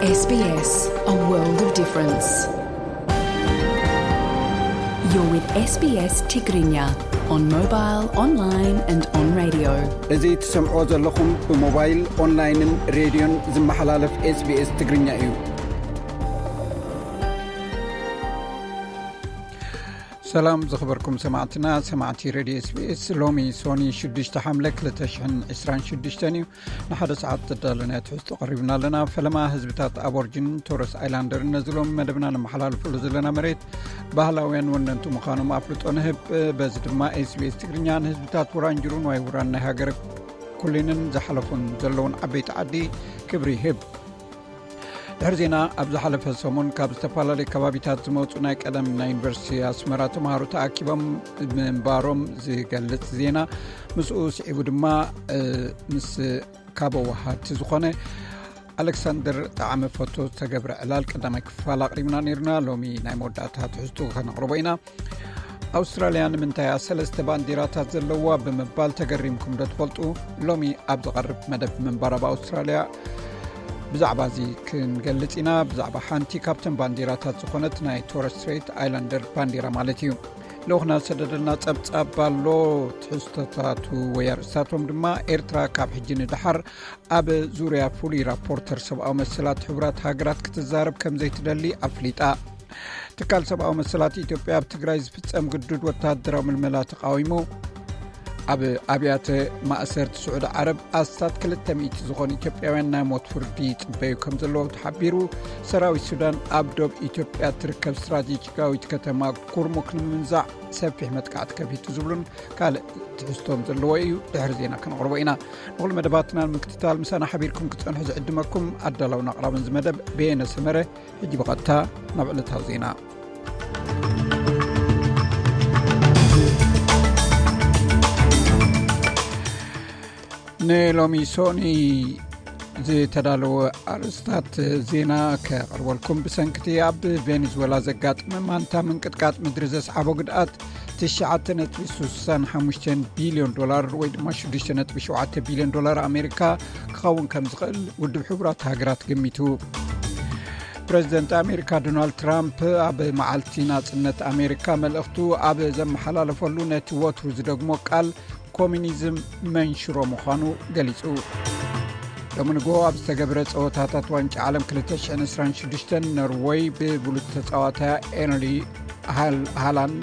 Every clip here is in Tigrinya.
S B S, a world of difference. You're with S B S Tigrinya on mobile, online and on radio. እዚ ትሰምዕዎ ዘለኹም ብሞባይል፣ ኦንላይንን ሬድዮን ዝመሓላለፍ S B S ትግርኛ እዩ። ሰላም ዝኽበርኩም ሰማዕትና፣ ሰማዕቲ ሬድዮ S B S፣ ሎሚ ሶኒ ሽዱሽተ ሓምለ ክልተ ሽሕን ዕስራን ሽዱሽተን እዩ። ንሓደ ሰዓት ተዳለናዮ ትሕዝቶ ቀሪብና ኣለና። ፈለማ ህዝብታት ኣቦርጅን ቶረስ ኣይላንደርን ነዚ ሎሚ መደብና ነመሓላልፈሉ ዘለና መሬት ባህላውያን ወነንቱ ምዃኖም ኣፍልጦ ንህብ። በዚ ድማ S B S ትግርኛ ንህዝብታት ውራንጅሩን ዋይ ውራን ናይ ሃገረ ኩሊንን ዝሓለፉን ዘለውን ዓበይቲ ዓዲ ክብሪ ይህብ። ድሕሪ ዜና፣ ኣብ ዝሓለፈ ሰሙን ካብ ዝተፈላለዩ ከባቢታት ዝመጹ ናይ ቀደም ናይ ዩኒቨርሲቲ ኣስመራ ተምሃሮ ተኣኪቦም ምንባሮም ዝገልጽ ዜና፣ ምስኡ ስዒቡ ድማ፣ እ፣ ምስ ካብ ወሃድቲ ዝኾነ ኣሌክሳንደር ጠዓመ ፎቶ ዝተገብረ ዕላል ቀዳማይ ክፋል ኣቕሪብና ነይርና። ሎሚ ናይ መወዳእታ ትሕዝቱ ከነቕርቦ ኢና። ኣውስትራልያ ንምንታይ እያ ሰለስተ ባንዲራታት ዘለዋ ብምባል ተገሪምኩም ዶ ትፈልጡ? ሎሚ ኣብ ዝቐርብ መደብ ምንባር ኣብ ኣውስትራልያ ብዛዕባ እዚ ክንገልጽ ኢና። ብዛዕባ ሓንቲ ካብተን ባንዲራታት ዝኾነት ናይ ቶረስ ስትሬት ኣይላንደር ባንዲራ ማለት እዩ። ልኡኽና ዝሰደደልና ጸብጻብ ኣሎ። ትሕዝቶታቱ ወይ ኣርእስታቶም ድማ፣ ኤርትራ ካብ ሕጂ ንደሓር ኣብ ዙርያ ፍሉይ ራፖርተር ሰብኣዊ መሰላት ሕቡራት ሃገራት ክትዛረብ ከም ዘይትደሊ ኣፍሊጣ። ትካል ሰብኣዊ መሰላት ኢትዮጵያ ኣብ ትግራይ ዝፍጸም ግዱድ ወተሃደራዊ ምልመላ ተቃዊሙ። ኣብ ኣብያተ ማእሰርቲ ስዑዲ ዓረብ ኣስታት ክልተ ሚእቲ ዝኾኑ ኢትዮጵያውያን ናይ ሞት ፍርዲ ይጽበዩ ከም ዘለዉ ተሓቢሩ። ሰራዊት ሱዳን ኣብ ዶብ ኢትዮጵያ ትርከብ ስትራቴጂካዊት ከተማ ኩርሙክ ንምምንዛዕ ሰፊሕ መጥቃዕቲ ከፊቱ ዝብሉን ካልእ ትሕዝቶም ዘለዎ እዩ። ድሕሪ ዜና ከነቕርቦ ኢና። ንኹሉ መደባትና ንምክትታል ምሳና ሓቢርኩም ክትጸንሑ ዝዕድመኩም ኣዳላውን ኣቕራብን ዝመደብ በየነ ሰመረ። ሕጂ ብቐጥታ ናብ ዕለታዊ ዜና። ንሎሚ ሶኒ ዝተዳለወ ኣርእስታት ዜና ከቕርበልኩም። ብሰንክቲ ኣብ ቬኔዙዌላ ዘጋጥመ ማንታ ምንቅጥቃጥ ምድሪ ዘስዓቦ ግድኣት ትሽዓተ ነጥቢ ስሳን ሓሙሽተን ቢልዮን ዶላር ወይ ድማ ሽዱሽተ ነጥቢ ሸውዓተ ቢልዮን ዶላር ኣሜሪካ ክኸውን ከም ዝኽእል ውድብ ሕቡራት ሃገራት ገሚቱ። ፕረዚደንት ኣሜሪካ ዶናልድ ትራምፕ ኣብ መዓልቲ ናጽነት ኣሜሪካ መልእኽቱ ኣብ ዘመሓላለፈሉ ነቲ ወትሩ ዝደግሞ ቃል ኮሚኒዝም መንሽሮ ምዃኑ ገሊጹ። ሎሚ ንግሆ ኣብ ዝተገብረ ጸወታታት ዋንጫ ዓለም ክልተ ሽሕን ዕስራን ሽዱሽተን ኖርወይ ብብሉጽ ተጻዋታያ ኤርሊ ሃል-፣ ሃላንድ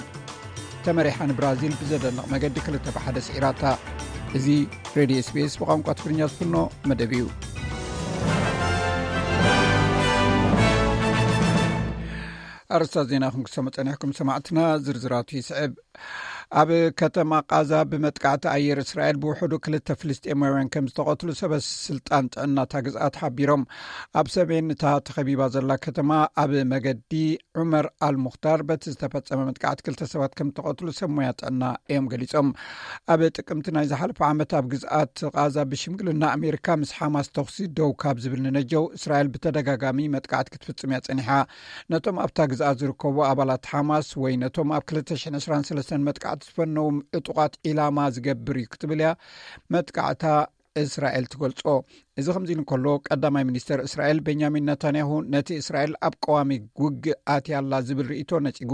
ተመሪሓ ንብራዚል ብዘደንቕ መገዲ ክልተ ብሓደ ስዒራታ። እዚ ሬድዮ S B S ብቋንቋ ትግርኛ ዝፍኖ መደብ እዩ። ኣርእስታት ዜና ክንክሰሞ ጸኒሕኩም ሰማዕትና፣ ዝርዝራቱ ይስዕብ። ኣብ ከተማ ቃዛ ብመጥቃዕቲ ኣየር እስራኤል ብውሕዱ ክልተ ፍልስጤማውያን ከም ዝተቐትሉ ሰበ ስልጣን ጥዕና እታ ግዝኣት ሓቢሮም። ኣብ ሰሜን እታ ተኸቢባ ዘላ ከተማ ኣብ መገዲ ዑመር ኣልሙኽታር በቲ ዝተፈጸመ መጥቃዕቲ ክልተ ሰባት ከም ዝተቐትሉ ሰብ ሞያ ጥዕና እዮም ገሊጾም። ኣብ ጥቅምቲ ናይ ዝሓለፈ ዓመት ኣብ ግዝኣት ቃዛ ብሽምግልና ኣሜሪካ ምስ ሓማስ ተኹሲ ደው ካብ ዝብል ንነጀው እስራኤል ብተደጋጋሚ መጥቃዕቲ ክትፍጽም እያ ጸኒሓ። ነቶም ኣብታ ግዝኣት ዝርከቡ ኣባላት ሓማስ ወይ ነቶም ኣብ ክልተ ሽሕን ዕስራን ሰለስተን መጥቃዕቲ ዝፈነዎም ዕጡቓት ዒላማ ዝገብር እዩ ክትብል እያ መጥቃዕታ እስራኤል ትገልጾ። እዚ ከምዚ ኢሉ እንከሎ፣ ቀዳማይ ሚኒስተር እስራኤል ቤንያሚን ነታንያሁ ነቲ እስራኤል ኣብ ቀዋሚ ውግእ ኣትያ ኣላ ዝብል ርእይቶ ነጺጉ።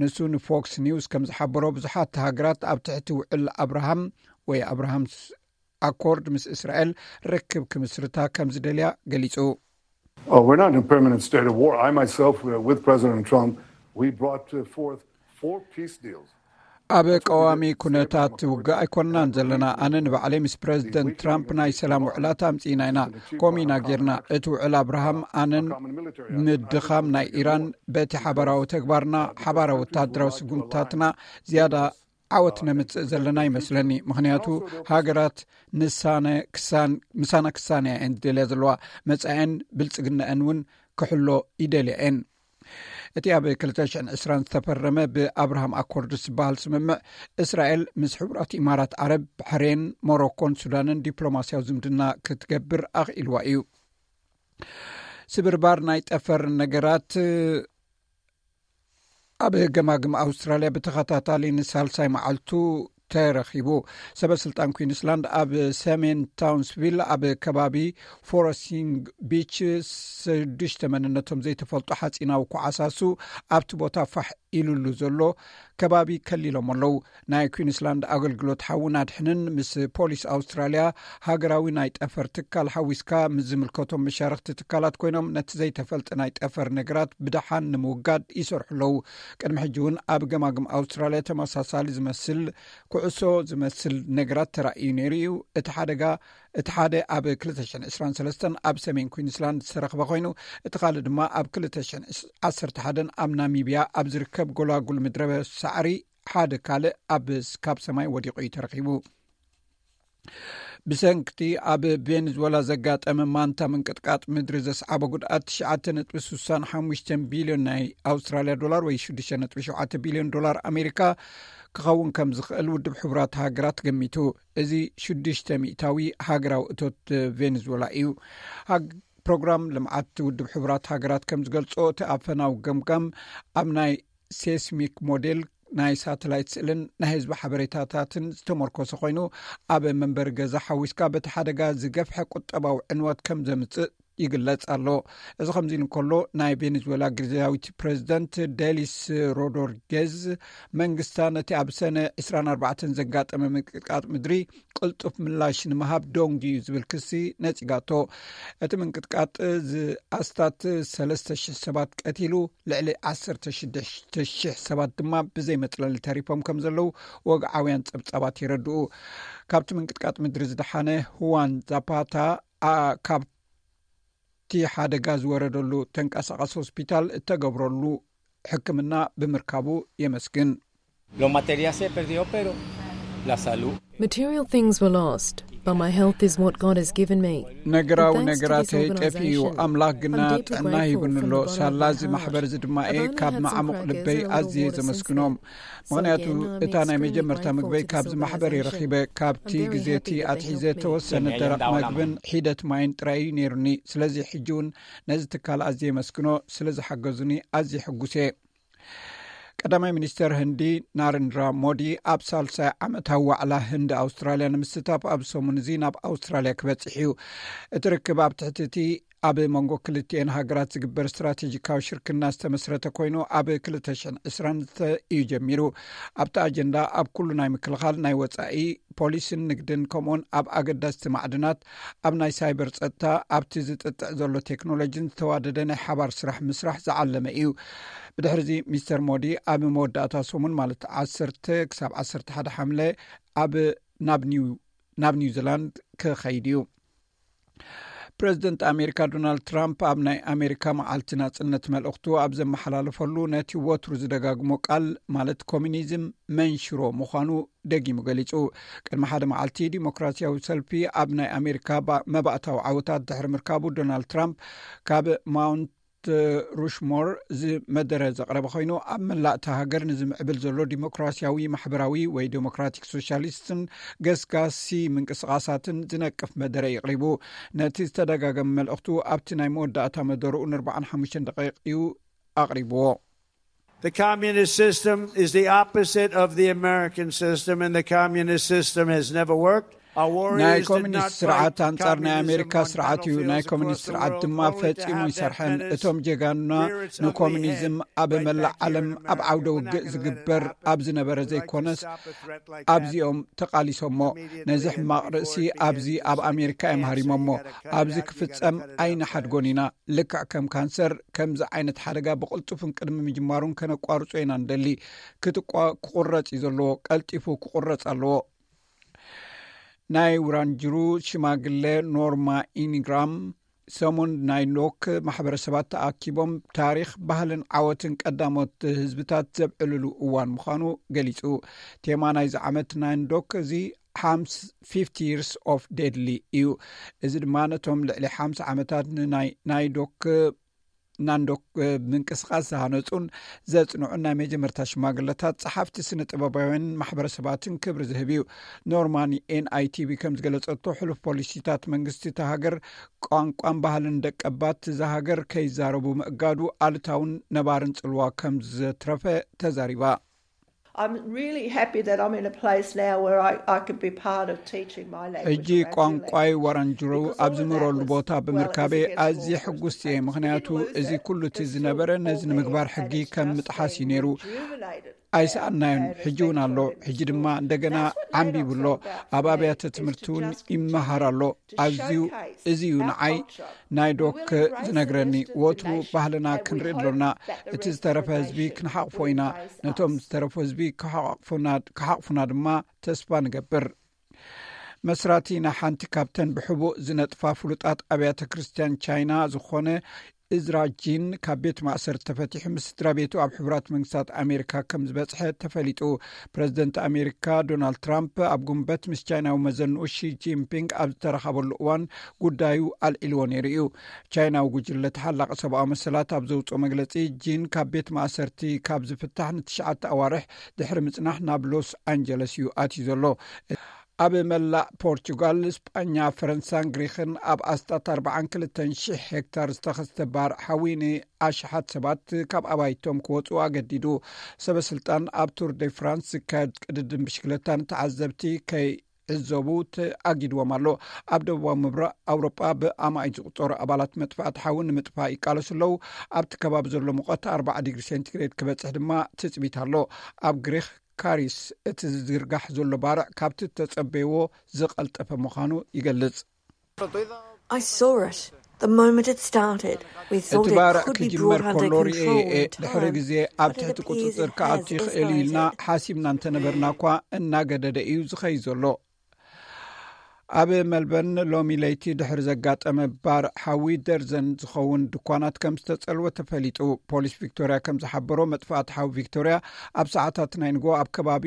ንሱ ንፎክስ ኒውስ ከም ዝሓበሮ፣ ብዙሓት ሃገራት ኣብ ትሕቲ ውዕል ኣብርሃም ወይ ኣብርሃም ኣኮርድ ምስ እስራኤል ርክብ ክምስርታ ከም ዝደልያ ገሊጹ። Oh, we're not in a permanent state of war. I myself, uh, with President Trump, we brought, uh, forth four peace deals. ኣብ ቀዋሚ ኩነታት ውግእ ኣይኮንናን ዘለና። ኣነ ንባዕለይ ምስ ፕረዚደንት ትራምፕ ናይ ሰላም ውዕላት ኣምጺእና ኢና። ከምኡ ኢና ጌርና። እቲ ውዕል ኣብርሃም ኣነን ምድኻም ናይ ኢራን በቲ ሓባራዊ ተግባርና፣ ሓባራዊ ወተሃደራዊ ስጉምታትና ዝያዳ ዓወት ነምጽእ ዘለና ይመስለኒ። ምኽንያቱ ሃገራት ንሳነ ክሳን-፣ ምሳና ክሳነያ እየን ዝደልያ ዘለዋ። መጻኤን ብልጽግናኣን እውን ክሕሎ ይደልያ እየን። እቲ ኣብ ክልተ ሽሕን ዕስራን ዝተፈረመ ብኣብርሃም ኣኮርድስ ዝበሃል ስምምዕ፣ እስራኤል ምስ ሕቡራት ኢማራት ዓረብ፣ ባሕሬን፣ ሞሮኮን ሱዳንን ዲፕሎማስያዊ ዝምድና ክትገብር ኣኽኢልዋ እዩ። ስብርባር ናይ ጠፈር ነገራት ኣብ ገማግም ኣውስትራልያ ብተኸታታሊ ንሳልሳይ መዓልቱ ተረኺቡ። ሰበ ስልጣን ኩንስላንድ ኣብ ሰሜን ታውንስቪል ኣብ ከባቢ ፎረሲንግ ቢች ሽዱሽተ መንነቶም ዘይተፈልጡ ሓፂናዊ ኩዓሳሱ ኣብቲ ቦታ ፋሕ ኢሉሉ ዘሎ ከባቢ ከሊሎም ኣለዉ። ናይ ኩንስላንድ ኣገልግሎት ሓውን ኣድሕንን ምስ ፖሊስ ኣውስትራልያ ሃገራዊ ናይ ጠፈር ትካል ሓዊስካ ምስ ዝምልከቶም መሻርክቲ ትካላት ኮይኖም ነቲ ዘይተፈልጠ ናይ ጠፈር ነገራት ብደሓን ንምውጋድ ይሰርሑ ኣለዉ። ቅድሚ ሕጂ እውን ኣብ ገማግም ኣውስትራልያ ተመሳሳሊ ዝመስል ኩዕሶ ዝመስል ነገራት ተራእዩ ነይሩ እዩ። እቲ ሓደጋ እቲ ሓደ ኣብ ክልተ ሽሕን ዕስራን ሰለስተን ኣብ ሰሜን ኩንስላንድ ዝተረኽበ ኮይኑ፣ እቲ ካልእ ድማ ኣብ ክልተ ሽሕን ዓሰርተ ሓደን ኣብ ናሚብያ ኣብ ዝርከብ ጎላጉል ምድረ ሳዕሪ ሓደ ካልእ ኣብ ካብ ሰማይ ወዲቑ እዩ ተረኺቡ። ብሰንክቲ ኣብ ቬንዙዌላ ዘጋጠመ ማንታ ምንቅጥቃጥ ምድሪ ዘስዓቦ ጉድኣት ትሽዓተ ነጥቢ ስሳን ሓሙሽተን ቢልዮን ናይ ኣውስትራልያ ዶላር ወይ ሽዱሽተ ነጥቢ ሸውዓተ ቢልዮን ዶላር ኣሜሪካ ክኸውን ከም ዝኽእል ውድብ ሕቡራት ሃገራት ገሚቱ። እዚ ሽዱሽተ ሚእታዊ ሃገራዊ እቶት ቬንዙዌላ እዩ። ሃግ-፣ ፕሮግራም ልምዓት ውድብ ሕቡራት ሃገራት ከም ዝገልጾ፣ እቲ ኣፈናዊ ገምጋም ኣብ ናይ ሴስሚክ ሞዴል፣ ናይ ሳተላይት ስእልን ናይ ህዝቢ ሓበሬታታትን ዝተመርኮሰ ኮይኑ፣ ኣብ መንበሪ ገዛ ሓዊስካ በቲ ሓደጋ ዝገፍሐ ቁጠባዊ ዕንወት ከም ዘምጽእ ይግለጽ ኣሎ። እዚ ከምዚ ኢሉ እንከሎ፣ ናይ ቬኔዙዌላ ግዝያዊት ፕሬዚደንት ዴሊስ ሮድሪጌዝ መንግስታ ነቲ ኣብ ሰነ ዕስራን ኣርባዕተን ዘጋጠመ ምንቅጥቃጥ ምድሪ ቅልጡፍ ምላሽ ንምሃብ ደንጉዩ ዝብል ክሲ ነጺጋቶ። እቲ ምንቅጥቃጥ ዝኣስታት ሰለስተ ሽሕ ሰባት ቀቲሉ፣ ልዕሊ ዓሰርተ ሽዱሽተ ሽሕ ሰባት ድማ ብዘይ መጽለሊ ተሪፎም ከም ዘለዉ ወግዓውያን ጸብጻባት የረድኡ። ካብቲ ምንቅጥቃጥ ምድሪ ዝደሓነ ሁዋን ዛፓታ፣ ኣ፣ ካብ እቲ ሓደጋ ዝወረደሉ ተንቀሳቐሲ ሆስፒታል እተገብረሉ ሕክምና ብምርካቡ የመስግን። Lo material se perdió, pero la salud. Material things were lost, but my health is what God has given me. ነገራዊ ነገራተይ ጠፊኡ፣ ኣምላኽ ግና ጥዕና ሂቡኒ ኣሎ። ሳላ እዚ ማሕበር እዚ ድማ እየ ካብ መዓሙቕ ልበይ ኣዝየ ዘመስግኖም። ምኽንያቱ እታ ናይ መጀመርታ ምግበይ ካብዚ ማሕበር እየ ረኺበ። ካብቲ ግዜ እቲ ኣትሒዘ ተወሰነ ደረቕ መግብን ሒደት ማይን ጥራይ እዩ ነይሩኒ። ስለዚ ሕጂ እውን ነዚ ትካል ኣዝየ የመስግኖ። ስለ ዝሓገዙኒ ኣዝየ ሕጉስ እየ። ቀዳማይ ሚኒስተር ህንዲ ናረንድራ ሞዲ ኣብ ሳልሳይ ዓመታዊ ዋዕላ ህንዲ ኣውስትራልያ ንምስታፍ ኣብ ሰሙን እዚ ናብ ኣውስትራልያ ክበጽሕ እዩ። እቲ ርክብ ኣብ ትሕቲ እቲ ኣብ መንጎ ክልቲኤን ሃገራት ዝግበር ስትራቴጂካዊ ሽርክና ዝተመስረተ ኮይኑ፣ ኣብ ክልተ ሽሕን ዕስራን እዩ ጀሚሩ። ኣብቲ ኣጀንዳ ኣብ ኩሉ ናይ ምክልኻል፣ ናይ ወጻኢ ፖሊስን ንግድን፣ ከምኡውን ኣብ ኣገዳስቲ ማዕድናት፣ ኣብ ናይ ሳይበር ጸጥታ፣ ኣብቲ ዝጥጥዕ ዘሎ ቴክኖሎጂን ዝተዋደደ ናይ ሓባር ስራሕ ምስራሕ ዝዓለመ እዩ። ብድሕሪዚ ሚስተር ሞዲ ኣብ መወዳእታ ሰሙን፣ ማለት ዓሰርተ ክሳብ ዓሰርተ ሓደ ሓምለ፣ ኣብ ናብ ኒው ናብ ኒውዚላንድ ክኸይድ እዩ። ፕረዚደንት ኣሜሪካ ዶናልድ ትራምፕ ኣብ ናይ ኣሜሪካ መዓልቲ ናጽነት መልእኽቱ ኣብ ዘመሓላለፈሉ፣ ነቲ ወትሩ ዝደጋግሞ ቃል፣ ማለት ኮሚኒዝም መንሽሮ ምዃኑ ደጊሙ ገሊጹ። ቅድሚ ሓደ መዓልቲ፣ ዲሞክራሲያዊ ሰልፊ ኣብ ናይ ኣሜሪካ ባ-፣ መባእታዊ ዓወታት ድሕሪ ምርካቡ፣ ዶናልድ ትራምፕ ካብ ማውንት ሩሽሞር ዝመደረ ዘቕረበ ኮይኑ፣ ኣብ መላእ እታ ሃገር ንዝምዕብል ዘሎ ዲሞክራሲያዊ፣ ማሕበራዊ ወይ ዴሞክራቲክ ሶሻሊስትን ገስጋሲ ምንቅስቓሳትን ዝነቅፍ መደረ የቕሪቡ። ነቲ ዝተደጋገመ መልእኽቱ ኣብቲ ናይ መወዳእታ መደርኡ ንኣርባዓን ሓሙሽተን ደቂቕ እዩ ኣቕሪብዎ። The communist system is the opposite of the American system, and the communist system has never worked. Our ናይ warriors did ኮሚኒስት not ስርዓት fight ኣንጻር ናይ ኣሜሪካ communism on ስርዓት እዩ። ናይ battlefields ኮሚኒስት across the ስርዓት world, ድማ only to ፈጺሙ have that ኣይሰርሐን። menace እቶም ጀጋኑና rear its ugly ንኮሚኒዝም head ኣብ right መላእ back here ዓለም in ኣብ ዓውደ America. ውግእ ዝግበር ኣብ ዝነበረ ዘይኮነስ፣ Stop a threat like that. ኣብዚኦም ተቓሊሶሞ። The media ነዚ ሕማቕ ርእሲ ኣብዚ ኣብ ኣሜሪካ እዮም ሃሪሞሞ። ኣብዚ ክፍጸም ኣይንሓድጎን ኢና። ልክዕ ከም ካንሰር፣ ከምዚ ዓይነት ሓደጋ ብቕልጡፍን ቅድሚ ምጅማሩን ከነቋርጾ ኢና ንደሊ። ክትቋ-፣ ክቑረጽ እዩ ዘለዎ። ቀልጢፉ ክቑረጽ ኣለዎ። ናይ ውራንጅሩ ሽማግለ ኖርማ ኢንግራም፣ ሰሙን ናይ ኖክ ማሕበረሰባት ተኣኪቦም ታሪኽ፣ ባህልን ዓወትን ቀዳሞት ህዝብታት ዘብዕልሉ እዋን ምዃኑ ገሊጹ። ቴማ ናይዚ ዓመት ናይ ኖክ እዚ ሓምስ-፣ ፊፍቲ years of deadly እዩ። እዚ ድማ ነቶም ልዕሊ ሓምሳ ዓመታት ንናይ፣ ናይ ዶክ ናንዶክ ምንቅስቓስ ዝሃነጹን ዘጽንዑን ናይ መጀመርታ ሽማግለታት፣ ጸሓፍቲ፣ ስነ ጥበባውያንን ማሕበረሰባትን ክብሪ ዝህብ እዩ። ኖርማን ኤን ኣይ ቲ ቪ ከም ዝገለጸቶ፣ ሕሉፍ ፖሊሲታት መንግስቲ እታ ሃገር ቋንቋን ባህልን ደቀባት እዛ ሃገር ከይዛረቡ ምእጋዱ ኣሉታውን ነባርን ጽልዋ ከም ዘትረፈ ተዛሪባ። I'm really happy that I'm in a place now where I, I can be part of teaching my language. ሕጂ ቋንቋይ ዋራንጅሮ ኣብ ዝምህረሉ ቦታ ብምርካበ ኣዝየ ሕጉስቲ እየ። ምኽንያቱ እዚ ኩሉ እቲ ዝነበረ ነዚ ንምግባር ሕጊ ከም ምጥሓስ እዩ ነይሩ። ኣይሰኣናዮን። ሕጂ እውን ኣሎ። ሕጂ ድማ እንደገና ዓንቢቡ ኣሎ። ኣብ ኣብያተ ትምህርቲ እውን ይመሃር ኣሎ። ኣዝዩ እዚ እዩ ንዓይ ናይ ዶክ ዝነግረኒ። ወትሩ ባህልና ክንርኢ ኣሎና። እቲ ዝተረፈ ህዝቢ ክንሓቕፎ ኢና። ነቶም ዝተረፉ ህዝቢ ክሓቕፉና ድማ ተስፋ ንገብር። መስራቲ ናይ ሓንቲ ካብተን ብሕቡእ ዝነጥፋ ፍሉጣት ኣብያተ ክርስትያን ቻይና ዝኾነ እዝራ ጂን ካብ ቤት ማእሰርቲ ተፈቲሑ ምስ ስድራ ቤቱ ኣብ ሕቡራት መንግስታት ኣሜሪካ ከም ዝበፅሐ ተፈሊጡ። ፕረዚደንት ኣሜሪካ ዶናልድ ትራምፕ ኣብ ጉንበት ምስ ቻይናዊ መዘንኡ ሺ ጂንፒንግ ኣብ ዝተረኻበሉ እዋን ጉዳዩ ኣልዒልዎ ነይሩ እዩ። ቻይናዊ ጉጅለ ተሓላቒ ሰብኣዊ መሰላት ኣብ ዘውፅኦ መግለፂ፣ ጂን ካብ ቤት ማእሰርቲ ካብ ዝፍታሕ ንትሽዓተ ኣዋርሕ ድሕሪ ምፅናሕ ናብ ሎስ ኣንጀለስ እዩ ኣትዩ ዘሎ። ኣብ መላእ ፖርቹጋል፣ ስጳኛ፣ ፈረንሳን ግሪኽን ኣብ ኣስታት ኣርባዓን ክልተን ሽሕ ሄክታር ዝተኸስተ ባርዕ ሓዊ ንኣሽሓት ሰባት ካብ ኣባይቶም ክወፁ ኣገዲዱ። ሰበ ስልጣን ኣብ ቱር ደ ፍራንስ ዝካየድ ቅድድም ብሽክለታ ንተዓዘብቲ ከይዕዘቡ ተኣጊድዎም ኣሎ። ኣብ ደቡባዊ ምብራቕ ኣውሮጳ ብኣማኢት ዝቑጸሩ ኣባላት መጥፋእቲ ሓዊ ንምጥፋእ ይቃለሱ ኣለዉ። ኣብቲ ከባቢ ዘሎ ሙቐት ኣርባዓ ዲግሪ ሴንቲግሬድ ክበጽሕ ድማ ትጽቢት ኣሎ። ኣብ ግሪኽ ካሪስ እቲ ዝዝርጋሕ ዘሎ ባርዕ ካብቲ እተጸበይዎ ዝቐልጠፈ ምዃኑ ይገልጽ። I saw it the moment it started. We እቲ thought it ባርዕ could be ክጅመር brought under ከሎ ርእየ control እየ። in ድሕሪ time, ግዜ ኣብ but it ትሕቲ appears it ቁጽጽር has ክኣቱ ይኽእል እዩ ኢልና escalated. ሓሲብና እንተነበርና እኳ እናገደደ እዩ ዝኸይድ ዘሎ። ኣብ መልበርን ሎሚ ለይቲ ድሕሪ ዘጋጠመ ባርዕ ሓዊ ደርዘን ዝኸውን ድኳናት ከም ዝተጸልወ ተፈሊጡ። ፖሊስ ቪክቶርያ ከም ዝሓበሮ፣ መጥፋእቲ ሓዊ ቪክቶርያ ኣብ ሰዓታት ናይ ንጎ ኣብ ከባቢ